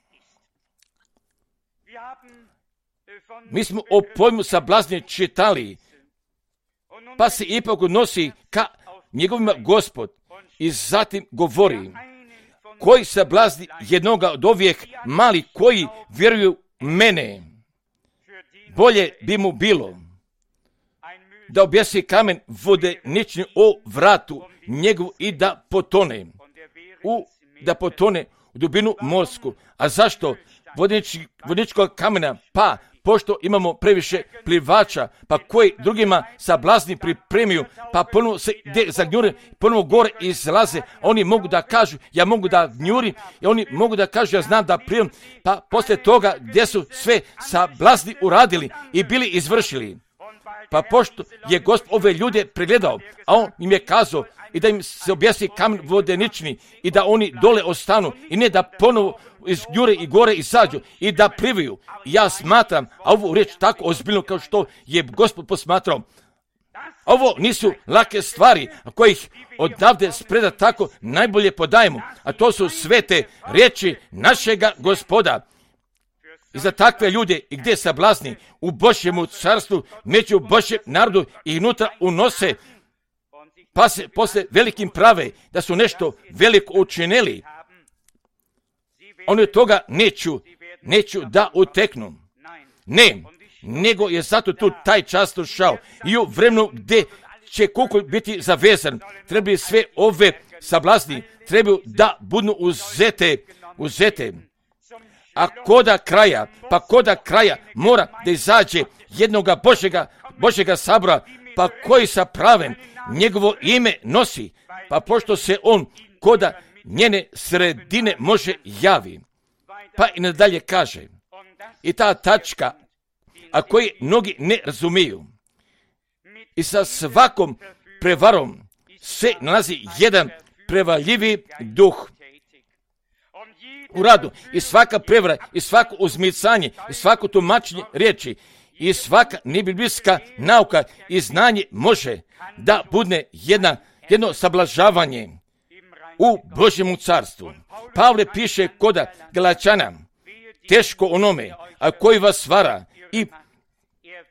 Mi smo o pojmu sablazni čitali, pa se ipak odnosi ka njegovima Gospod i zatim govori, koji sablazni jednoga od ovih malih koji vjeruju mene, bolje bi mu bilo da objesi kamen vodenični o vratu njegovu i da potone u dubinu morsku. A zašto vodeničkog kamena? Pa pošto imamo previše plivača, pa koji drugima sablazni pripremiju, pa ponovo se zagnjure, ponovo gore izlaze, oni mogu da kažu, ja mogu da gnjurim, i oni mogu da kažu, ja znam da prijem, pa poslije toga gdje su sve sablazni uradili i bili izvršili. Pa pošto je Gospod ove ljude pregledao, a on im je kazao i da im se objesi kamen vodenični i da oni dole ostanu i ne da ponovo izgnjure i gore izađu i da plivaju. Ja smatram, a ovu riječ tako ozbiljno kao što je Gospod posmatrao, ovo nisu lake stvari kojih odavde spreda tako najbolje podajemo, a to su svete riječi našega Gospoda. I za takve ljude i gdje sablazni u Božjemu carstvu, među Božjem narodu i unutra unose, pa se posle velikim prave da su nešto veliko učinili, oni od toga neću da uteknu. Ne, nego je zato tu taj čas došao i u vremenu gdje će kukolj biti zavezan, trebaju sve ove sablazni, trebaju da budu uzete. A koda kraja mora da izađe jednoga Božjega sabora, pa koji sa pravem njegovo ime nosi, pa pošto se on koda njene sredine može javi. Pa i nadalje kaže, i ta tačka, a koji mnogi ne razumiju, i sa svakom prevarom se nalazi jedan prevaljivi duh u radu, i svaka prevara, i svako uzmicanje, i svako tumačenje riječi, i svaka nebiblijska nauka i znanje može da bude jedno sablažavanje u Božjemu carstvu. Pavle piše koda Galačana, teško onome, a koji vas vara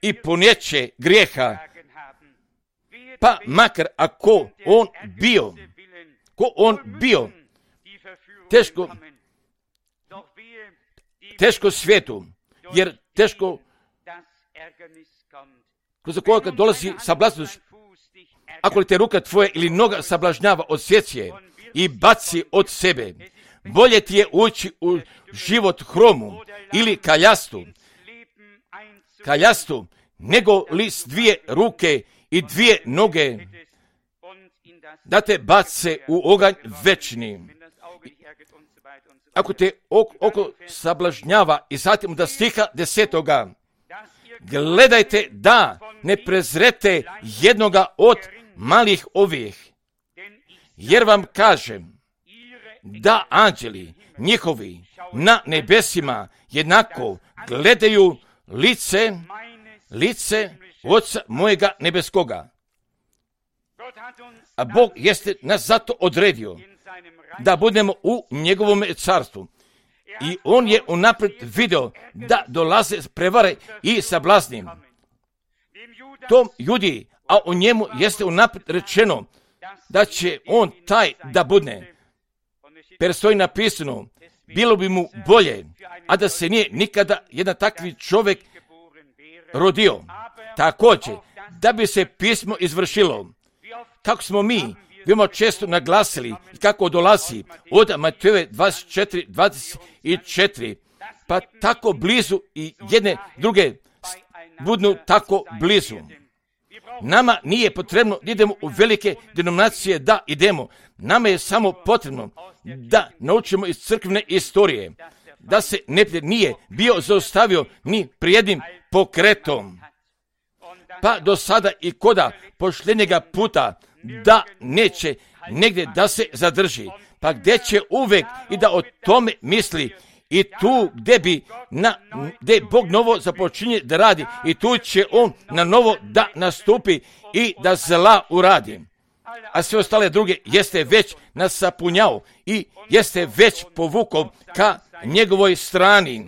i ponjeće grijeha, pa makar ako on bio teško svijetu, jer teško kroz koga dolazi sablažnost, ako li te ruka tvoja ili noga sablažnjava, odsjeci je i baci od sebe. Bolje ti je ući u život hromu ili kaljastu, nego li s dvije ruke i dvije noge da te bace u oganj večni. Ako te oko sablažnjava, i zatim da stiha 10. Gledajte da ne prezrete jednoga od malih ovih, jer vam kažem da anđeli njihovi na nebesima jednako gledaju lice Oca mojega nebeskoga. A Bog jeste nas zato odredio da budemo u njegovom carstvu. I on je unaprijed video da dolaze prevare i sablazni. Tom Judi, a o njemu jeste unaprijed rečeno da će on taj da bude. Per stoji napisano, bilo bi mu bolje, a da se nije nikada jedan takvi čovjek rodio. Također, da bi se pismo izvršilo, kako smo mi veoma često naglasili i kako dolazi od Matejove 24:24, pa tako blizu i jedne druge budu tako blizu. Nama nije potrebno da idemo u velike denominacije da idemo. Nama je samo potrebno da naučimo iz crkvene istorije, da se neprijatelj nije bio zaustavio ni prijednim pokretom. Pa do sada i koda pošljenjega puta da neće negdje da se zadrži, pa gdje će uvek i da o tome misli, i tu gdje Bog novo započinje da radi, i tu će on na novo da nastupi i da zla uradi. A sve ostale druge jeste već nasapunjao i jeste već povukao ka njegovoj strani.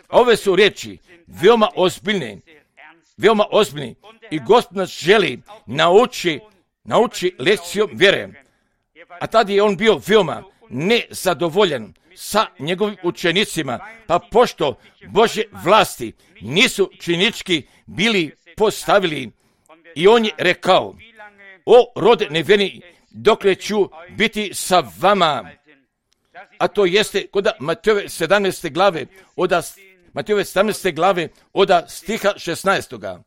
Ove su riječi veoma ozbiljne i Gospod nas želi nauči lekcijom vjere. A tada je on bio veoma nezadovoljan sa njegovim učenicima, pa pošto Božje vlasti nisu činički bili postavili, i on je rekao: o rode nevjerni, dokle ću biti sa vama? A to jeste kod Matejove 17. glave od stiha 16.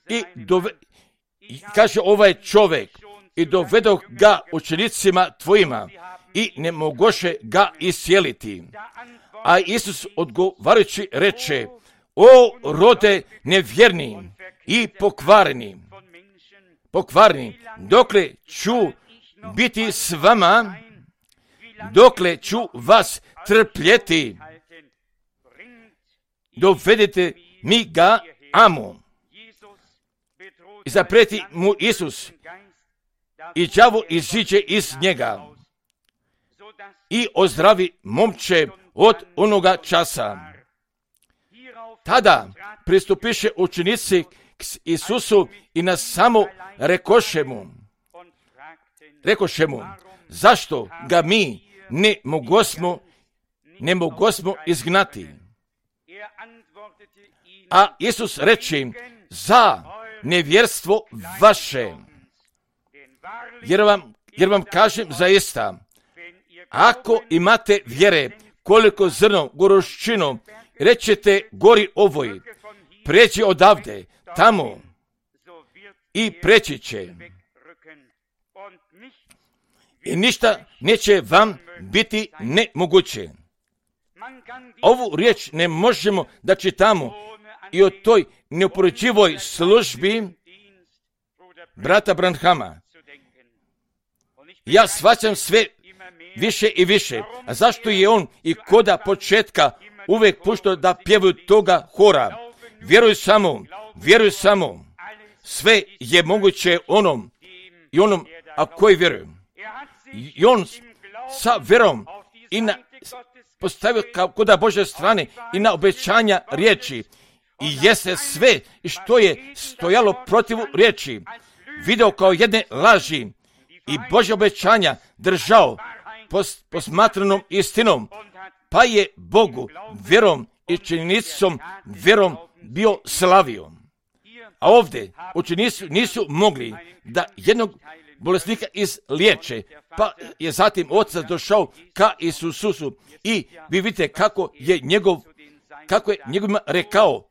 I kaže ovaj čovjek: i dovedoh ga učenicima tvojima i ne mogoše ga iscijeliti. A Isus odgovarajući reče: o rode nevjerni i pokvareni, dokle ću biti s vama, dokle ću vas trpjeti, dovedite mi ga amo. I zapreti mu Isus, i đavo iziđe iz njega i ozdravi momče od onoga časa. Tada pristupiše učenici k Isusu i na samo rekoše mu: zašto ga mi ne mogosmo izgnati? A Isus reče: za nevjerstvo vaše. Jer vam kažem zaista, ako imate vjere koliko zrno goruščinu, rećete gori ovoj: pređi odavde tamo, i preći će. I ništa neće vam biti nemoguće. Ovu riječ ne možemo da čitamo i o toj neuporečivoj službi brata Branhama. Ja shvaćam sve više i više. A zašto je on i koda početka uvijek puštao da pjevaju toga hora? Vjeruj samo. Sve je moguće onom a koji vjeruje. I on sa vjerom i postavio kod Božje strane i na obećanja riječi. I jeste sve što je stojalo protiv riječi video kao jedne laži i Božje obećanja držao posmatranom istinom, pa je Bogu vjerom i činjenicom vjerom bio slavio. A ovdje učenici nisu mogli da jednog bolesnika izliječe, pa je zatim otac došao ka Isusu i vi vidite kako je njegovima rekao: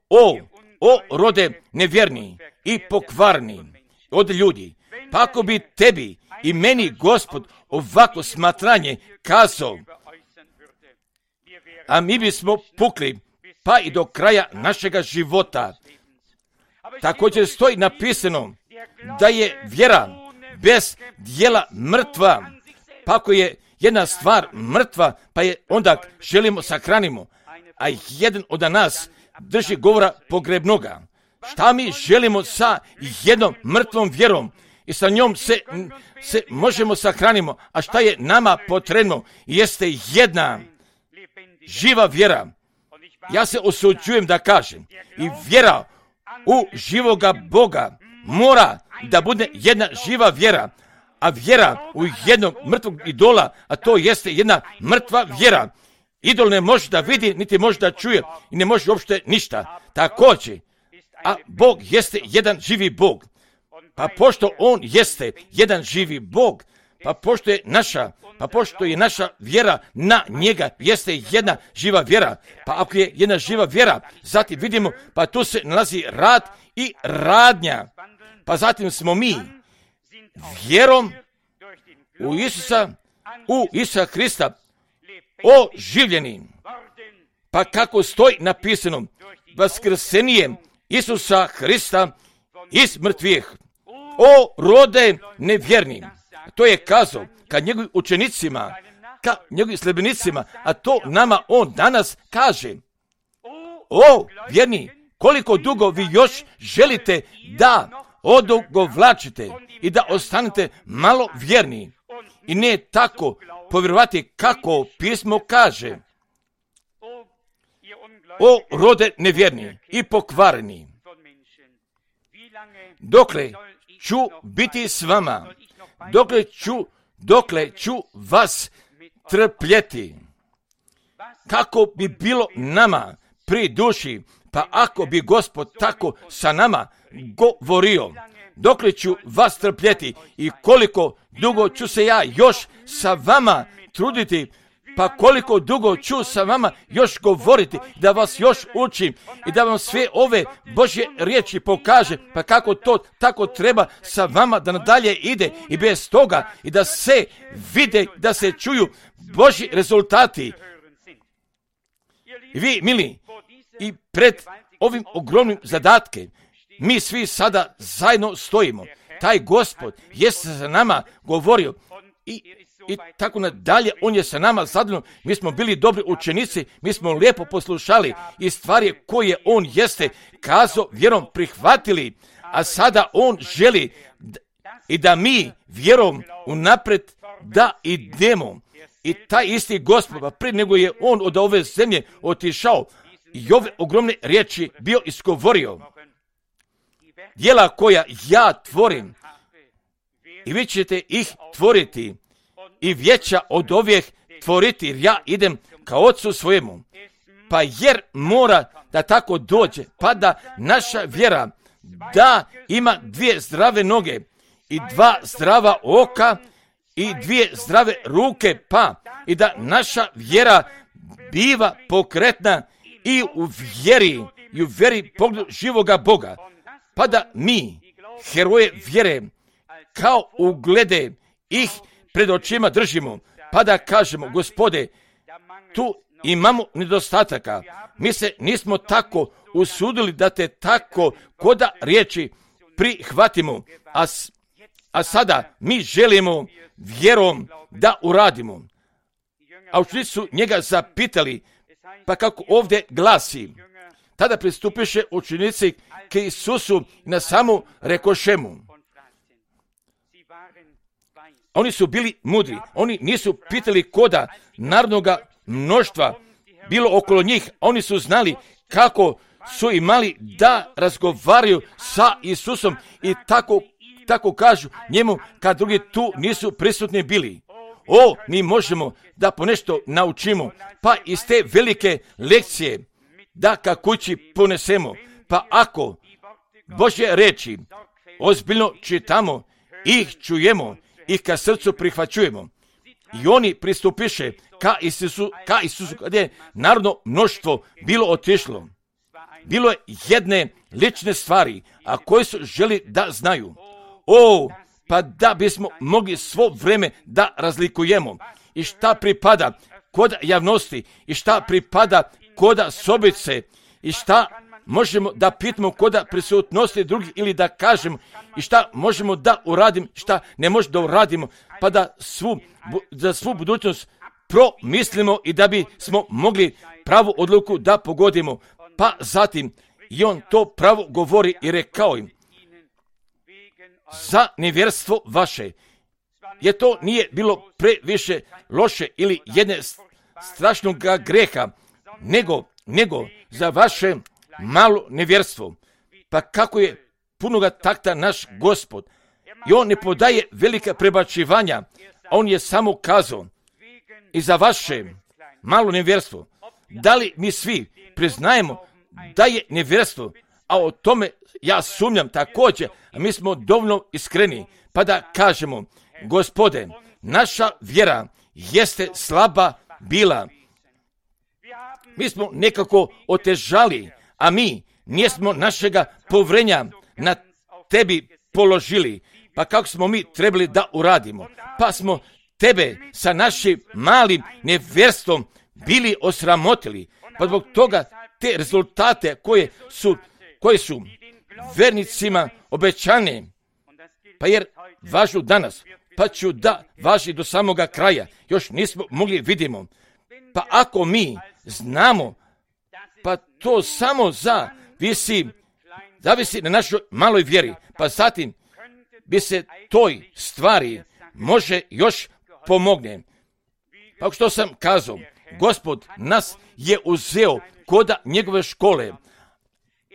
o rode nevjerni i pokvarni od ljudi, pa ako bi tebi i meni Gospod ovako smatranje kazao, a mi bismo pukli pa i do kraja našega života. Također stoji napisano da je vjera bez djela mrtva. Pa ako je jedna stvar mrtva, pa je onda želimo sahranimo, a jedan od nas drži govora pogrebnoga. Šta mi želimo sa jednom mrtvom vjerom? I sa njom se možemo sahranimo. A šta je nama potrebno? Jeste jedna živa vjera. Ja se osuđujem da kažem, i vjera u živoga Boga mora da bude jedna živa vjera, a vjera u jednog mrtvog idola, a to jeste jedna mrtva vjera. Idol ne može da vidi, niti može da čuje i ne može uopšte ništa. Također, a Bog jeste jedan živi Bog. Pa pošto on jeste jedan živi Bog, pa pošto je naša vjera na njega jeste jedna živa vjera. Pa ako je jedna živa vjera, zatim vidimo, pa tu se nalazi rad i radnja. Pa zatim smo mi vjerom u Isusa Krista oživljeni. Pa kako stoji napisano, vaskrsenjem Isusa Krista iz mrtvih. O rode nevjerni. To je kazao ka njegovim učenicima, ka njegovim sljedbenicima, a to nama on danas kaže: o vjerni, koliko dugo vi još želite da odugovlačite i da ostanete malo vjerni i ne tako povjerovati kako pismo kaže: o rode nevjerni i pokvareni, dokle ću biti s vama, dokle ću vas trpjeti. kako bi bilo nama pri duši, pa ako bi Gospod tako sa nama govorio, dokle ću vas trpjeti i koliko dugo ću se ja još sa vama truditi, pa koliko dugo ću sa vama još govoriti, da vas još učim i da vam sve ove Božje riječi pokaže, pa kako to tako treba sa vama da nadalje ide i bez toga i da se vide, da se čuju Božji rezultati. I vi, mili, i pred ovim ogromnim zadatke, mi svi sada zajedno stojimo. Taj Gospod je sa nama govorio i tako nadalje, on je sa nama zadovoljno. Mi smo bili dobri učenici, mi smo lijepo poslušali i stvari koje on jeste kazao vjerom prihvatili, a sada on želi i da mi vjerom unapred da idemo. I taj isti Gospod, pa prije nego je on od ove zemlje otišao i ove ogromne riječi bio izgovorio, djela koja ja tvorim i vi ćete ih tvoriti i veća od ovih tvoriti, jer ja idem ka Otcu svojemu. Pa jer mora da tako dođe, pa da naša vjera da ima 2 zdrave noge i 2 zdrava oka i 2 zdrave ruke, pa i da naša vjera biva pokretna i u vjeri pogledu živoga Boga, pa da mi, heroje vjere, kao uglede ih pred očima držimo, pa da kažemo, Gospode, tu imamo nedostataka, mi se nismo tako usudili da te tako koda riječi prihvatimo, a sada mi želimo vjerom da uradimo. A učenici su njega zapitali, pa kako ovdje glasi, tada pristupiše učenici k Isusu na samu rekoše mu. Oni su bili mudri, oni nisu pitali koda narodnoga mnoštva bilo okolo njih, oni su znali kako su imali da razgovaraju sa Isusom i tako kažu njemu kad drugi tu nisu prisutni bili. Mi možemo da ponešto naučimo, pa iz te velike lekcije da ka kući ponesemo, pa ako Božje reči ozbiljno čitamo, ih čujemo, ih ka srcu prihvaćujemo. I oni pristupiše ka Isusu kad je narodno mnoštvo bilo otišlo. Bilo je jedne lične stvari, a koje su želi da znaju. Pa da bismo mogli svo vreme da razlikujemo i šta pripada kod javnosti i šta pripada koda sobice i šta možemo da pitamo koda prisutnosti drugih ili da kažemo i šta možemo da uradimo, šta ne možemo da uradimo, pa da za svu budućnost promislimo i da bismo mogli pravu odluku da pogodimo. Pa zatim i on to pravo govori i rekao im, za nevjerstvo vaše, jer to nije bilo previše loše ili jedne strašnog greha, nego za vaše malo nevjerstvo. Pa kako je punoga takta naš Gospod, i on ne podaje velika prebačivanja, a on je samo kazao, i za vaše malo nevjerstvo. Da li mi svi priznajemo da je nevjerstvo, a o tome ja sumnjam također, a mi smo dovoljno iskreni, pa da kažemo, Gospode, naša vjera jeste slaba bila. Mi smo nekako otežali, a mi nismo našega povrenja na tebi položili. Pa kako smo mi trebali da uradimo? Pa smo tebe sa našim malim nevjerstvom bili osramotili. Pa zbog toga te rezultate koje su vernicima obećane, pa jer važu danas, pa ću da važi do samoga kraja, još nismo mogli vidimo. Pa ako mi znamo, pa to samo zavisi na našoj maloj vjeri, pa zatim bi se toj stvari može još pomogne. Pa što sam kazao, Gospod nas je uzeo koda njegove škole,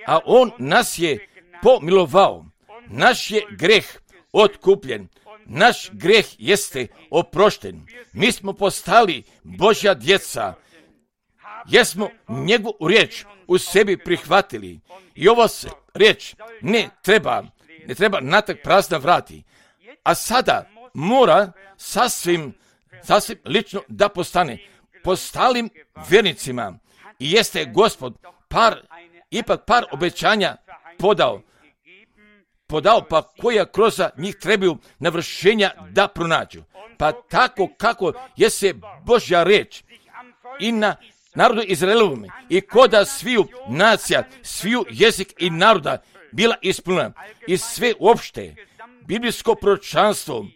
a on nas je pomilovao. Naš je greh otkupljen, naš greh jeste oprošten. Mi smo postali Božja djeca jesmo njegovu riječ u sebi prihvatili. I ova se riječ ne treba natrag prazna vrati. A sada mora sasvim lično da postane postalim vjernicima. I jeste Gospod ipak par obećanja podao, pa koja kroz njih trebaju navršenja da pronađu. Pa tako kako je se Božja riječ i na narodu Izraelovom i koda sviju nacija, sviju jezik i naroda bila ispunjena i sve uopšte biblijsko proročanstvo,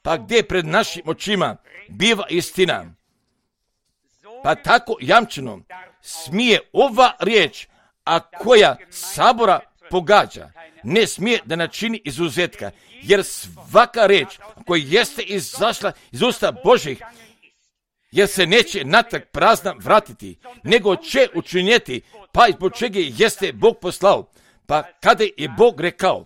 pa gdje pred našim očima biva istina. Pa tako jamčeno smije ova riječ, a koja sabora pogađa, ne smije da načini izuzetka, jer svaka riječ koja jeste izašla iz usta Božih, jer se neće natrag prazna vratiti, nego će učinjeti, pa zbog čega jeste Bog poslao. Pa kada je Bog rekao,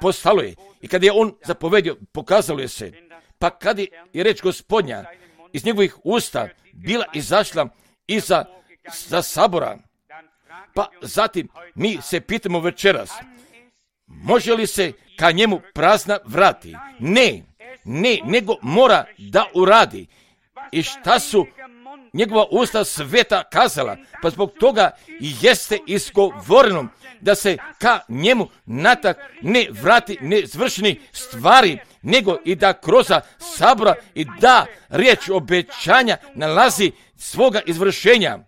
postalo je, i kada je on zapovedio, pokazalo je se. Pa kada je reč Gospodnja iz njegovih usta bila izašla iza sabora, pa zatim mi se pitamo večeras, može li se ka njemu prazna vrati? Ne, nego mora da uradi. I šta su njegova usta sveta kazala? Pa zbog toga i jeste izgovoreno da se ka njemu natrag ne vrati nezvršeni stvari, nego i da kroz sabora i da riječ obećanja nalazi svoga izvršenja,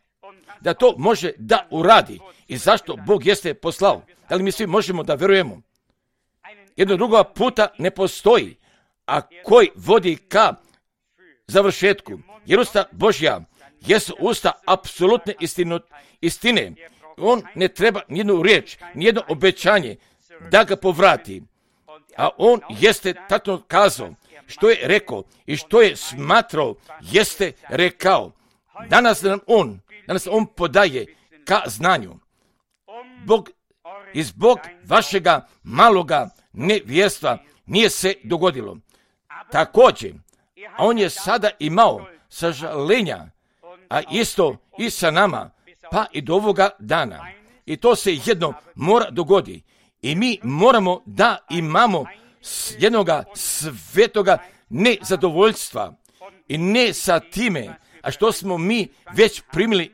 da to može da uradi. I zašto Bog jeste poslao? Da li mi svi možemo da verujemo? Jedno drugo puta ne postoji, a koji vodi ka završetku. Jer usta Božja jesu usta apsolutne istine. On ne treba nijednu riječ, nijedno obećanje da ga povrati. A on jeste tačno kazao što je rekao i što je smatrao, jeste rekao. Danas nam on podaje ka znanju. Zbog vašega maloga nevjerstva nije se dogodilo. Također, a on je sada imao sažalenja, a isto i sa nama, pa i do ovoga dana. I to se jedno mora dogodi. I mi moramo da imamo jednoga svetoga nezadovoljstva i ne sa time, a što smo mi već primili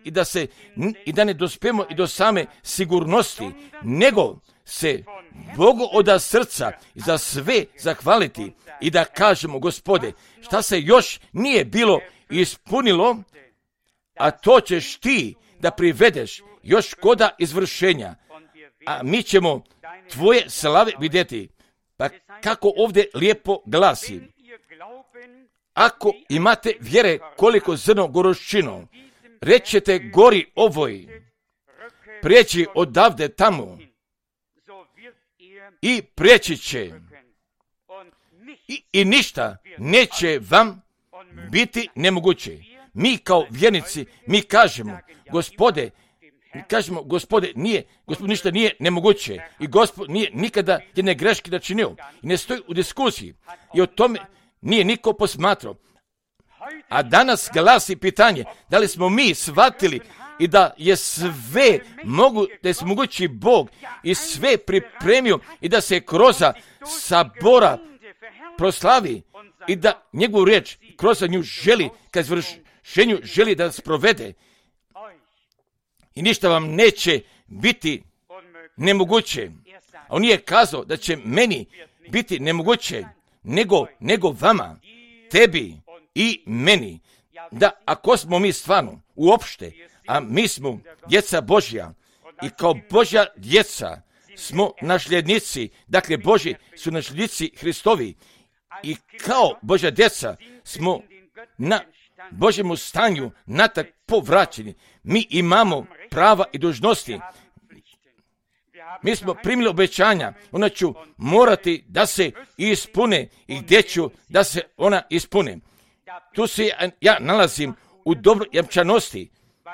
i da ne dospemo i do same sigurnosti, nego se Bogu od srca za sve zahvaliti i da kažemo, Gospode, šta se još nije bilo ispunilo, a to ćeš ti da privedeš još koda izvršenja, a mi ćemo tvoje slave vidjeti. Pa kako ovdje lijepo glasi, ako imate vjere koliko zrno goroščino, rećete gori ovoj, prijeći odavde tamo i prijeći će i ništa neće vam biti nemoguće. Mi kao vjernici, mi kažemo, Gospode, ništa nije nemoguće i Gospod nije nikada jedne greške načinio i ne stoji u diskusiji i o tome nije niko posmatrao. A danas glasi pitanje, da li smo mi shvatili i da je sve da je mogući Bog i sve pripremio i da se kroz sabora proslavi i da njegovu riječ kroz nju želi, kad izvršenju želi da sprovede. I ništa vam neće biti nemoguće. A on nije kazao da će meni biti nemoguće, nego vama, tebi i meni. Da ako smo mi stvarno uopšte, a mi smo djeca Božja i kao Božja djeca smo nasljednici, dakle Božji su nasljednici Hristovi i kao Božja djeca smo na Božjemu stanju natrag povraćeni. Mi imamo prava i dužnosti. Mi smo primili obećanja, ona ću morati da se ispune i gdje ću da se ona ispune. Tu se ja nalazim u dobroj jamčanosti,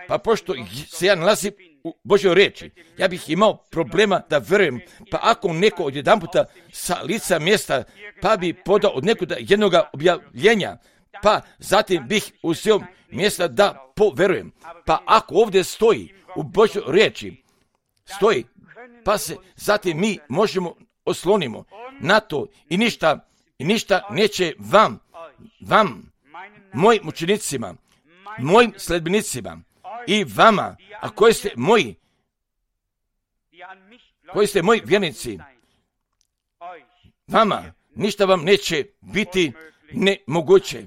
pa pošto se ja nalazim u Božjoj riječi, ja bih imao problema da verujem, pa ako neko odjedanputa sa lica mjesta, pa bi podao od nekoga jednoga objavljenja, pa zatim bih uzeo mjesta da poverujem. Pa ako ovdje stoji u Božjoj riječi, stoji, pa se zatim mi možemo oslonimo na to i ništa neće vam, mojim učenicima, mojim sledbenicima i vama, a koji ste moji vjernici, vama ništa vam neće biti nemoguće.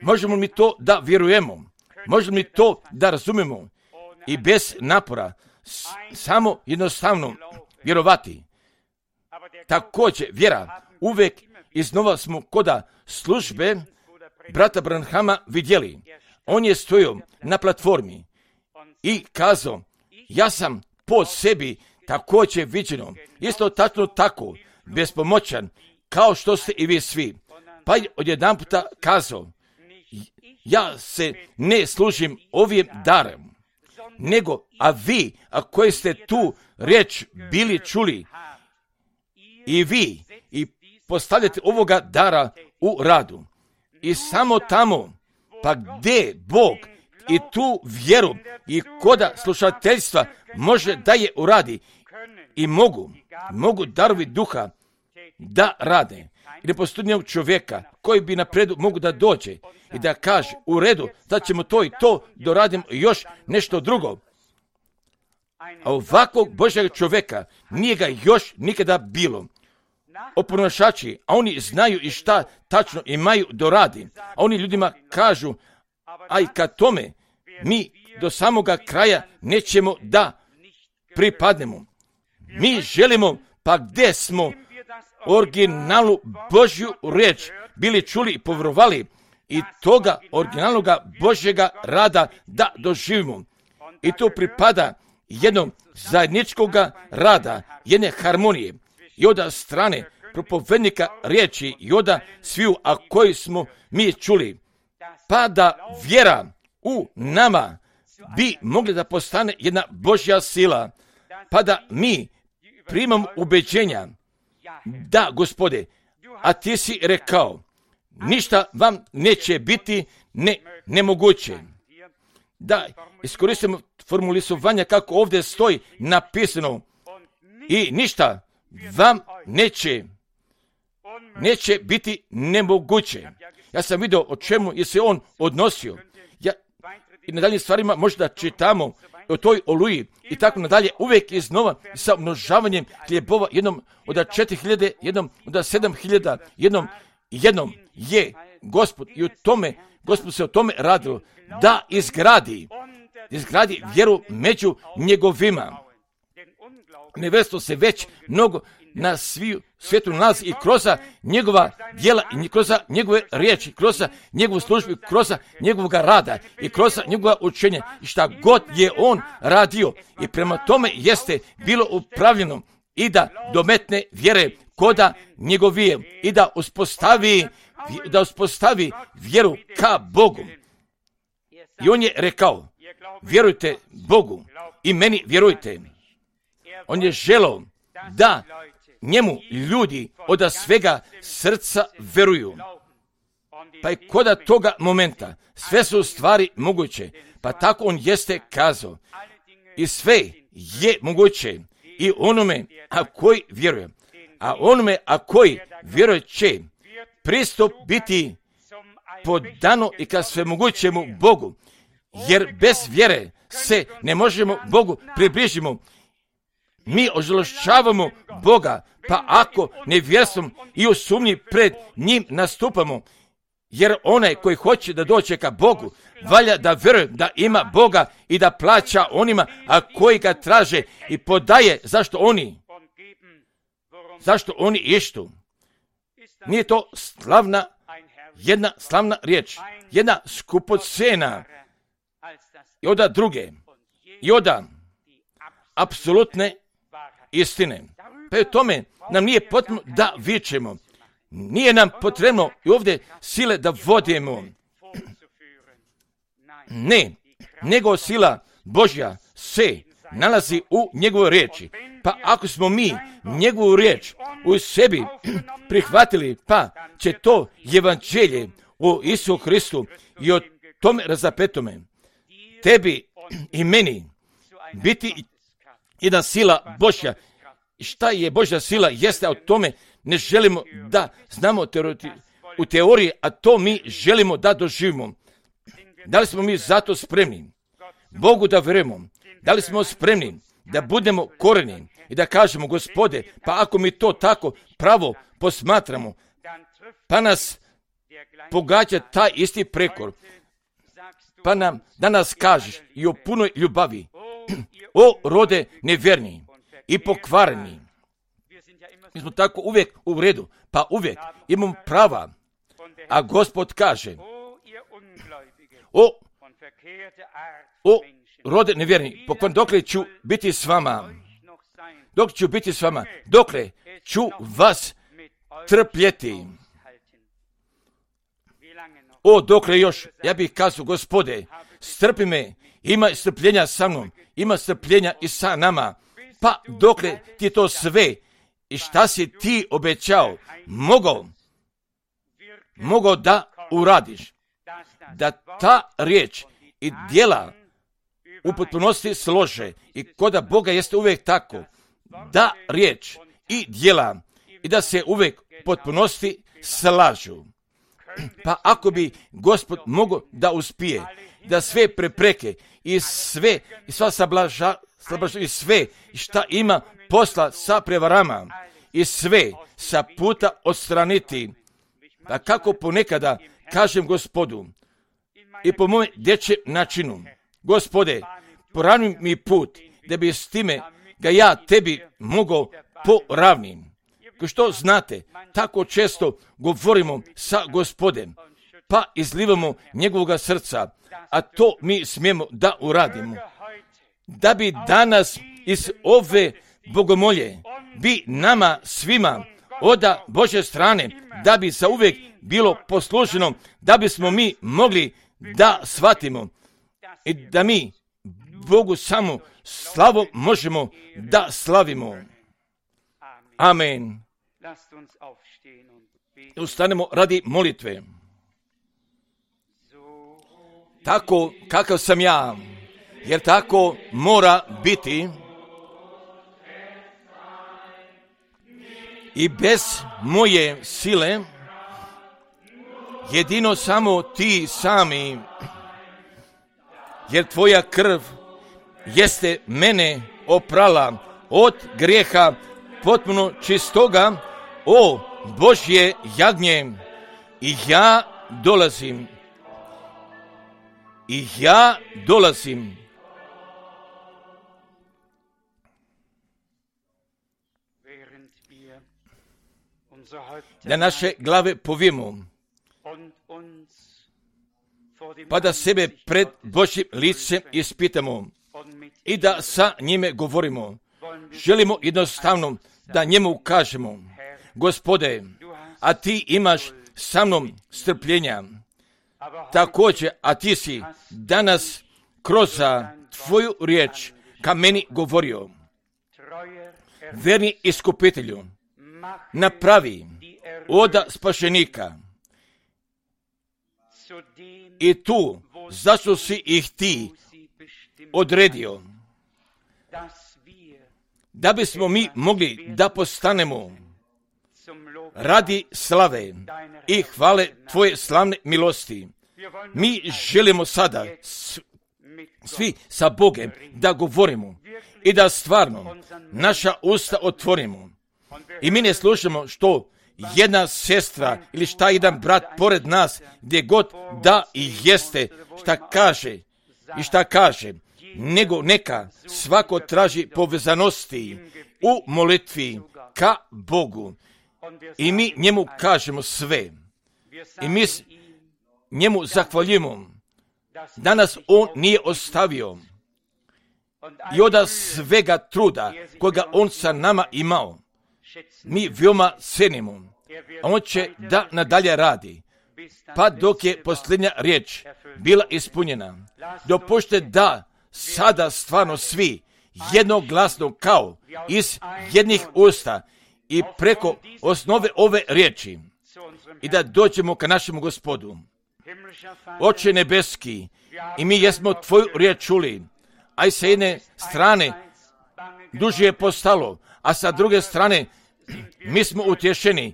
Možemo mi to da vjerujemo, možemo mi to da razumemo i bez napora, samo jednostavno vjerovati. Također vjera, uvijek iznova smo koda službe brata Branhama vidjeli. On je stojio na platformi i kazao, ja sam po sebi također viđeno, isto tačno tako, bespomoćan, kao što ste i vi svi. Pa je odjedanputa kazao, ja se ne služim ovim darem, nego, a vi, a koji ste tu riječ bili čuli, i vi, i postavljate ovoga dara u radu. I samo tamo, pa gdje Bog i tu vjeru i koda slušateljstva može da je uradi i mogu darovi duha da rade. I ne postoji nijednog čovjeka koji bi napredu mogu da dođe i da kaže u redu, da ćemo to i to doradimo još nešto drugo. A ovakvog Božjeg čovjeka nije ga još nikada bilo. Oponašači, a oni znaju i šta tačno imaju doradi. A oni ljudima kažu, a i kad tome mi do samoga kraja nećemo da pripadnemo. Mi želimo, pa gdje smo originalu Božju riječ bili čuli i povjerovali i toga originalnoga Božjega rada da doživimo. I to pripada jednog zajedničkoga rada, jedne harmonije i od strane propovednika riječi i od sviju, a koji smo mi čuli. Pa da vjera u nama bi mogla da postane jedna Božja sila, pa da mi primamo ubeđenja da, Gospode, a ti si rekao, ništa vam neće biti nemoguće. Da iskoristimo formulisovanje kako ovdje stoji napisano i ništa vam neće biti nemoguće. Ja sam vidio o čemu je se on odnosio. I na daljim stvarima možda čitamo o toj oluji i tako nadalje, uvijek iznova sa množavanjem hljebova, jednom od 4.000, jednom od 7.000, jednom je Gospod i u tome, Gospod se o tome radilo, da izgradi vjeru među njegovima. Nevjerstvo se već mnogo na svijetu nalazi i kroz njegova djela i kroz njegove riječi, kroz njegovu službu, kroz njegovog rada i kroz njegova učenja i šta god je on radio i prema tome jeste bilo upravljeno i da dometne vjere koda njegovije i da uspostavi vjeru ka Bogu. I on je rekao, vjerujte Bogu i meni vjerujte. On je želeo da njemu ljudi od svega srca veruju. Pa i koda toga momenta sve su stvari moguće, pa tako on jeste kazao. I sve je moguće i onome a koji vjeruje. A onome a koji vjeruje će pristup biti podano i ka svemogućemu Bogu. Jer bez vjere se ne možemo Bogu približimo. Mi ožalošćavamo Boga, pa ako nevjerstvom i u sumnji pred njim nastupamo, jer onaj koji hoće da dođe ka Bogu, valja da vjeruje da ima Boga i da plaća onima, a koji ga traže i podaje zašto oni ištu. Nije to jedna slavna riječ, jedna skupocena i od druge, i od apsolutne istine. Pa u tome nam nije potrebno da vičemo. Nije nam potrebno i ovdje sile da vodimo. Ne, nego sila Božja se nalazi u njegovoj riječi. Pa ako smo mi njegovu riječ u sebi prihvatili, pa će to evanđelje o Isu Hristu i o tome razapetome, tebi i meni biti jedna sila Božja. Šta je Božja sila? Jeste, o tome ne želimo da znamo u teoriji, a to mi želimo da doživimo. Da li smo mi zato spremni Bogu da vjerujemo? Da li smo spremni da budemo koreni i da kažemo, Gospode, pa ako mi to tako pravo posmatramo, pa nas pogađa taj isti prekor, pa nam danas kažeš i o punoj ljubavi, o rode nevjerni i pokvareni. Mi smo tako uvijek u redu, pa uvijek imamo prava, a Gospod kaže, o rode nevjerni, dokle ću biti s vama, dokle ću vas trpjeti. O, dokle još, ja bih kazao, Gospode, strpi me, ima strpljenja sa mnom, ima strpljenja i sa nama, pa dokle ti to sve i šta si ti obećao, mogao da uradiš, da ta riječ i djela u potpunosti slože i koda Boga jeste uvijek tako, da riječ i djela i da se uvijek u potpunosti slažu. Pa ako bi Gospod mogao da uspije, da sve prepreke i sva i sve šta ima posla sa prevarama i sve sa puta odstraniti, pa kako ponekada kažem Gospodu i po mojem dječjem načinu, Gospode, poravni mi put da bi s time ga ja tebi mogao poravnim. Kao što znate, tako često govorimo sa Gospodem, pa izlivamo njegovoga srca, a to mi smijemo da uradimo. Da bi danas iz ove bogomolje bi nama svima od Božje strane, da bi zauvijek bilo posluženo, da bismo mi mogli da shvatimo i da mi Bogu samo slavu možemo da slavimo. Amen. Ustanemo radi molitve. Tako kakav sam ja, jer tako mora biti i bez moje sile, jedino samo ti sami, jer tvoja krv jeste mene oprala od grijeha potpuno čistoga, o Božje jagnje, i ja dolazim. Da naše glave povijemo, pa da sebe pred Božjim licem ispitamo i da sa njime govorimo. Želimo jednostavno da njemu kažemo, Gospode, a ti imaš sa mnom strpljenja. Također, a ti si danas kroz tvoju riječ ka meni govorio. Verni iskupitelju, napravi od spašenika i tu zašto si ih ti odredio, da bismo mi mogli da postanemo radi slave i hvale tvoje slavne milosti. Mi želimo sada svi sa Bogom da govorimo i da stvarno naša usta otvorimo. I mi ne slušamo što jedna sestra ili šta jedan brat pored nas, gdje god da i jeste, šta kaže, nego neka svako traži povezanosti u molitvi ka Bogu. I mi njemu kažemo sve. I mi njemu zahvaljujemo da nas on nije ostavio i od svega truda koga on sa nama imao. Mi veoma cenimo, a on će da nadalje radi, pa dok je posljednja riječ bila ispunjena. Dopušte da sada stvarno svi jednoglasno kao iz jednih usta i preko osnove ove riječi i da dođemo ka našemu Gospodu. Oče nebeski, i mi jesmo tvoju riječ čuli, a i sa jedne strane duže je postalo, a sa druge strane mi smo utješeni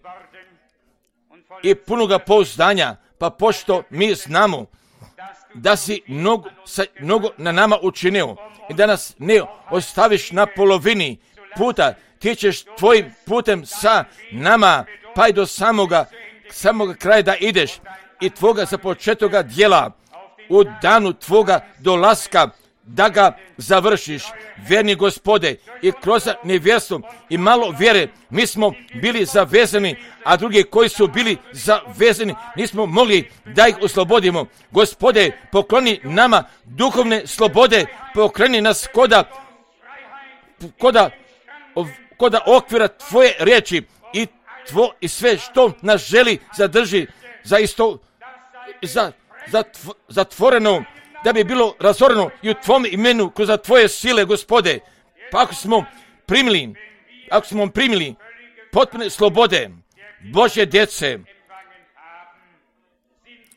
i punoga pouzdanja, pa pošto mi znamo da si mnogo na nama učinio i da nas ne ostaviš na polovini puta, ti ćeš tvojim putem sa nama, pa i do samoga kraja da ideš i tvoga započetoga djela u danu tvoga dolaska da ga završiš, verni Gospode, i kroz nevjerstvo i malo vjere mi smo bili zavezani, a drugi koji su bili zavezani nismo mogli da ih oslobodimo. Gospode, pokloni nama duhovne slobode, pokloni nas koda okvira tvoje riječi i sve što nas želi zadrži zatvoreno, da bi bilo razoreno i u tvom imenu kroz tvoje sile, Gospode. Pa ako smo primili potpune slobode Božje djece,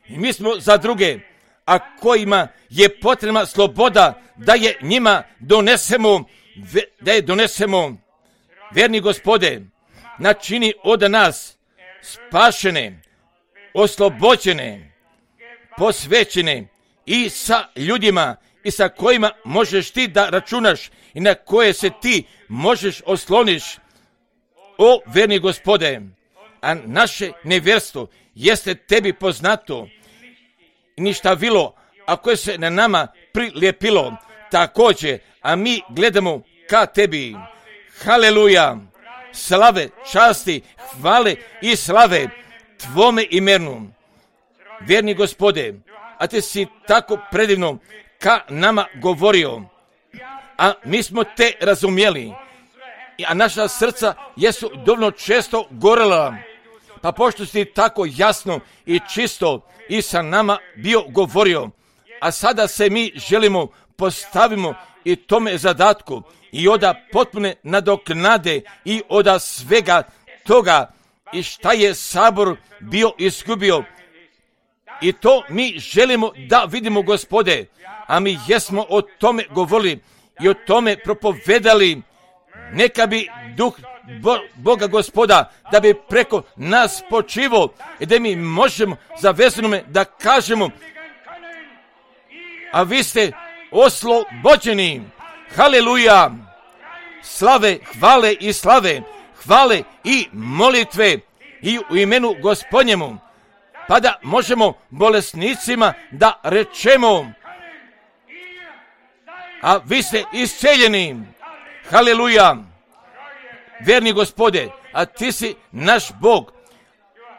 i mi smo za druge, a kojima je potrebna sloboda, da je njima donesemo, verni Gospode, načini od nas spašene, oslobođene, posvećene i sa ljudima i sa kojima možeš ti da računaš i na koje se ti možeš osloniš, o verni Gospode. A naše nevjerstvo jeste tebi poznato i ništa vilo, a koje se na nama prilijepilo također, a mi gledamo ka tebi. Haleluja, slave, časti, hvale i slave tvome imenu, verni Gospode. A ti si tako predivno ka nama govorio, a mi smo te razumjeli, a naša srca jesu dovoljno često gorela, pa pošto si tako jasno i čisto i sa nama bio govorio, a sada se mi želimo postavimo i tome zadatku i oda potpune nadoknade i oda svega toga i šta je Sabor bio izgubio. I to mi želimo da vidimo, Gospode, a mi jesmo o tome govorili i o tome propovedali. Neka bi duh Boga Gospoda, da bi preko nas počivo i da mi možemo zavezanome da kažemo, a vi ste oslobođeni. Haleluja, slave, hvale i molitve i u imenu Gospodnjemu, pa da možemo bolesnicima da rečemo, a vi ste isceljeni. Haleluja, verni Gospode, a ti si naš Bog,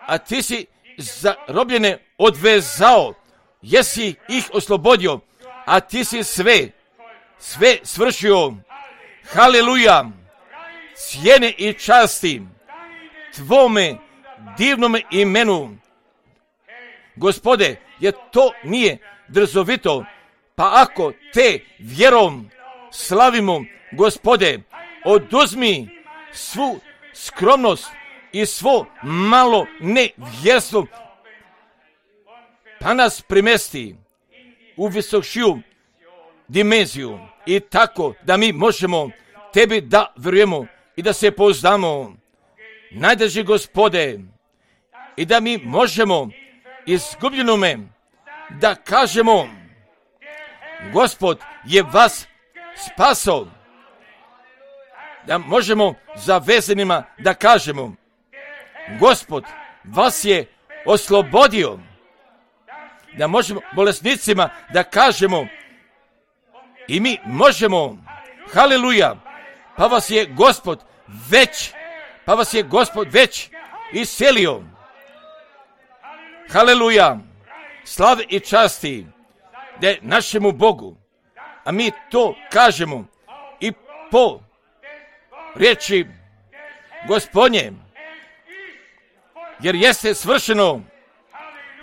a ti si zarobljene odvezao, jesi ih oslobodio, a ti si sve svršio. Haleluja, cijene i časti tvome divnome imenu, Gospode, jer to nije drzovito, pa ako te vjerom slavimo, Gospode, oduzmi svu skromnost i svo malo nevjerstvo, pa nas primesti u visokšiju dimenziju i tako da mi možemo tebi da vjerujemo i da se pouzdamo, najdrži Gospode, i da mi možemo izgubljenome da kažemo, Gospod je vas spasao, da možemo zavezanima da kažemo, Gospod vas je oslobodio, da možemo bolesnicima da kažemo, i mi možemo, haleluja, pa vas je Gospod već iscelio. Haleluja, slave i časti da je našemu Bogu, a mi to kažemo i po riječi Gospodnje, jer jeste svršeno.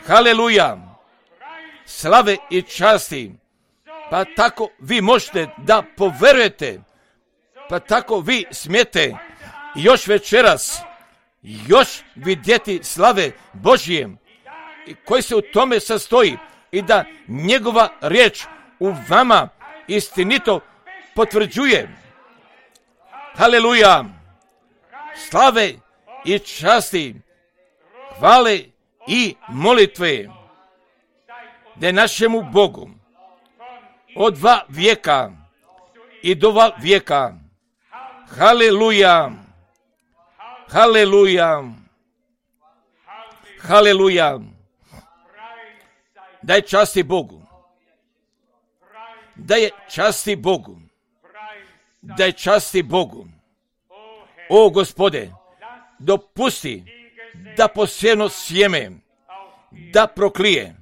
Haleluja, slave i časti, pa tako vi možete da poverujete, pa tako vi smijete još večeras još vidjeti slave Božije i koji se u tome sastoji i da njegova riječ u vama istinito potvrđuje. Haleluja! Slave i časti, hvale i molitve da je našemu Bogu od 2 vijeka i do 2 vijeka. Haleluja! Haleluja! Haleluja! Daj časti Bogu. Daj časti Bogu. Daj časti Bogu. O Gospode, dopusti da posijeno sjeme, da proklije,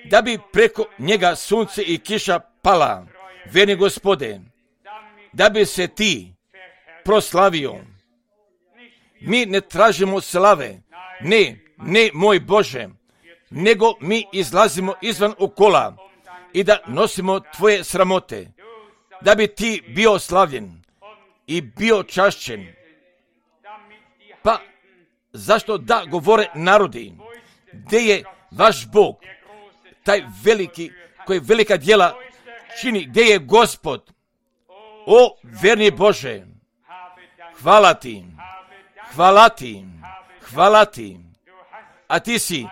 da bi preko njega sunce i kiša pala, vjerni Gospode, da bi se ti proslavio. Mi ne tražimo slave, ne moj Bože, nego mi izlazimo izvan okola i da nosimo tvoje sramote, da bi ti bio slavljen i bio čašćen. Pa zašto da govore narodi? Gdje je vaš Bog, taj veliki, koji velika djela čini, gdje je Gospod? O vjerni Bože, hvala ti, hvala ti, hvala ti. A ti si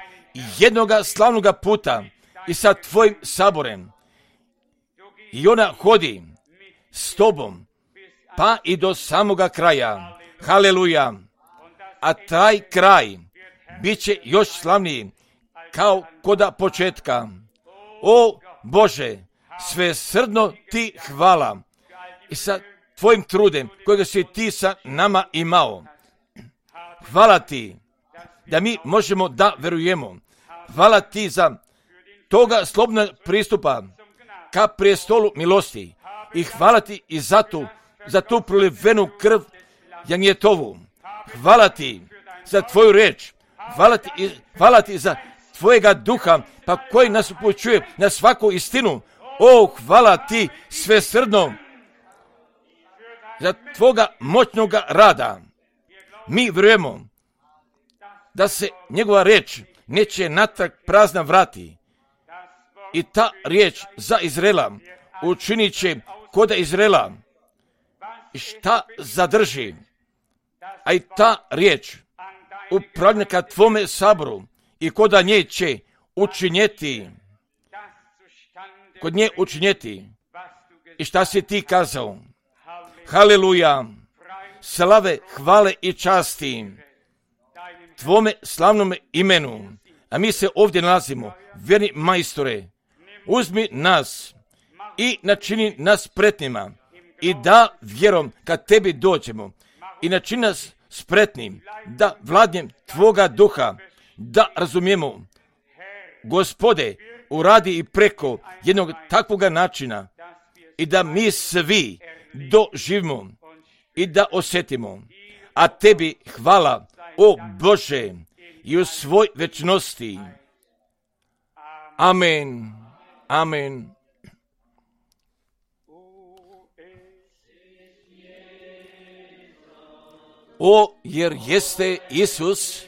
jednoga slavnoga puta i sa tvojim saborem. I ona hodi s tobom, pa i do samoga kraja. Haleluja! A taj kraj bit će još slavniji, kao koda početka. O Bože, svesrdno ti hvala i sa tvojim trudem kojega si ti sa nama imao. Hvala ti da mi možemo da verujemo. Hvala ti za toga slobodnog pristupa ka prijestolu milosti. I hvala ti i za tu prolivenu krv Janjetovu. Hvala ti za tvoju reč. Hvala ti za tvojega duha, pa koji nas upućuje na svaku istinu. O, hvala ti svesrdno za tvoga moćnoga rada. Mi vjerujemo da se njegova riječ neće natrag prazna vrati. I ta riječ za Izraela učinit će koda Izraela. I šta zadrži? A i ta riječ upravlja ka tvome saboru i koda nje će učinjeti. Kod nje učinjeti. I šta si ti kazao? Haleluja! Slave, hvale i časti tvome slavnome imenu. A mi se ovdje nalazimo, vjerni majstore, uzmi nas i načini nas spretnima i da vjerom kad tebi dođemo i načini nas spretnim da vladnjem tvoga duha, da razumijemo, Gospode, uradi i preko jednog takvoga načina i da mi svi doživimo i da osjetimo. A tebi hvala, o Bože, i u svoj večnosti. Amen. Amen. O, jer jeste Isus,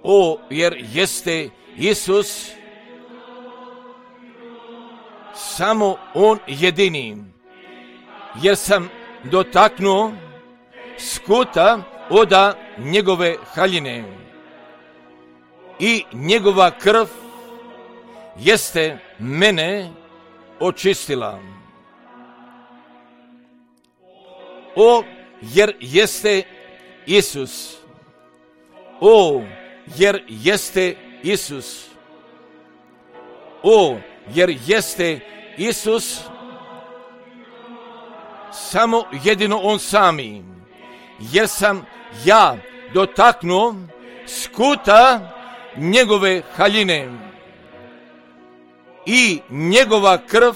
o, jer jeste Isus, samo On jedini, jer sam dotaknuo skuta oda njegove haljine i njegova krv jeste mene očistila. O, jer jeste Isus, o, jer jeste Isus, o, jer jeste Isus, samo jedino On sami, jer sam ja dotaknuo skuta njegove haljine i njegova krv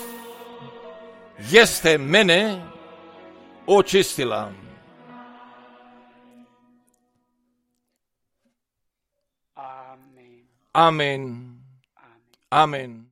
jeste mene očistila. Amen. Amen. Amen.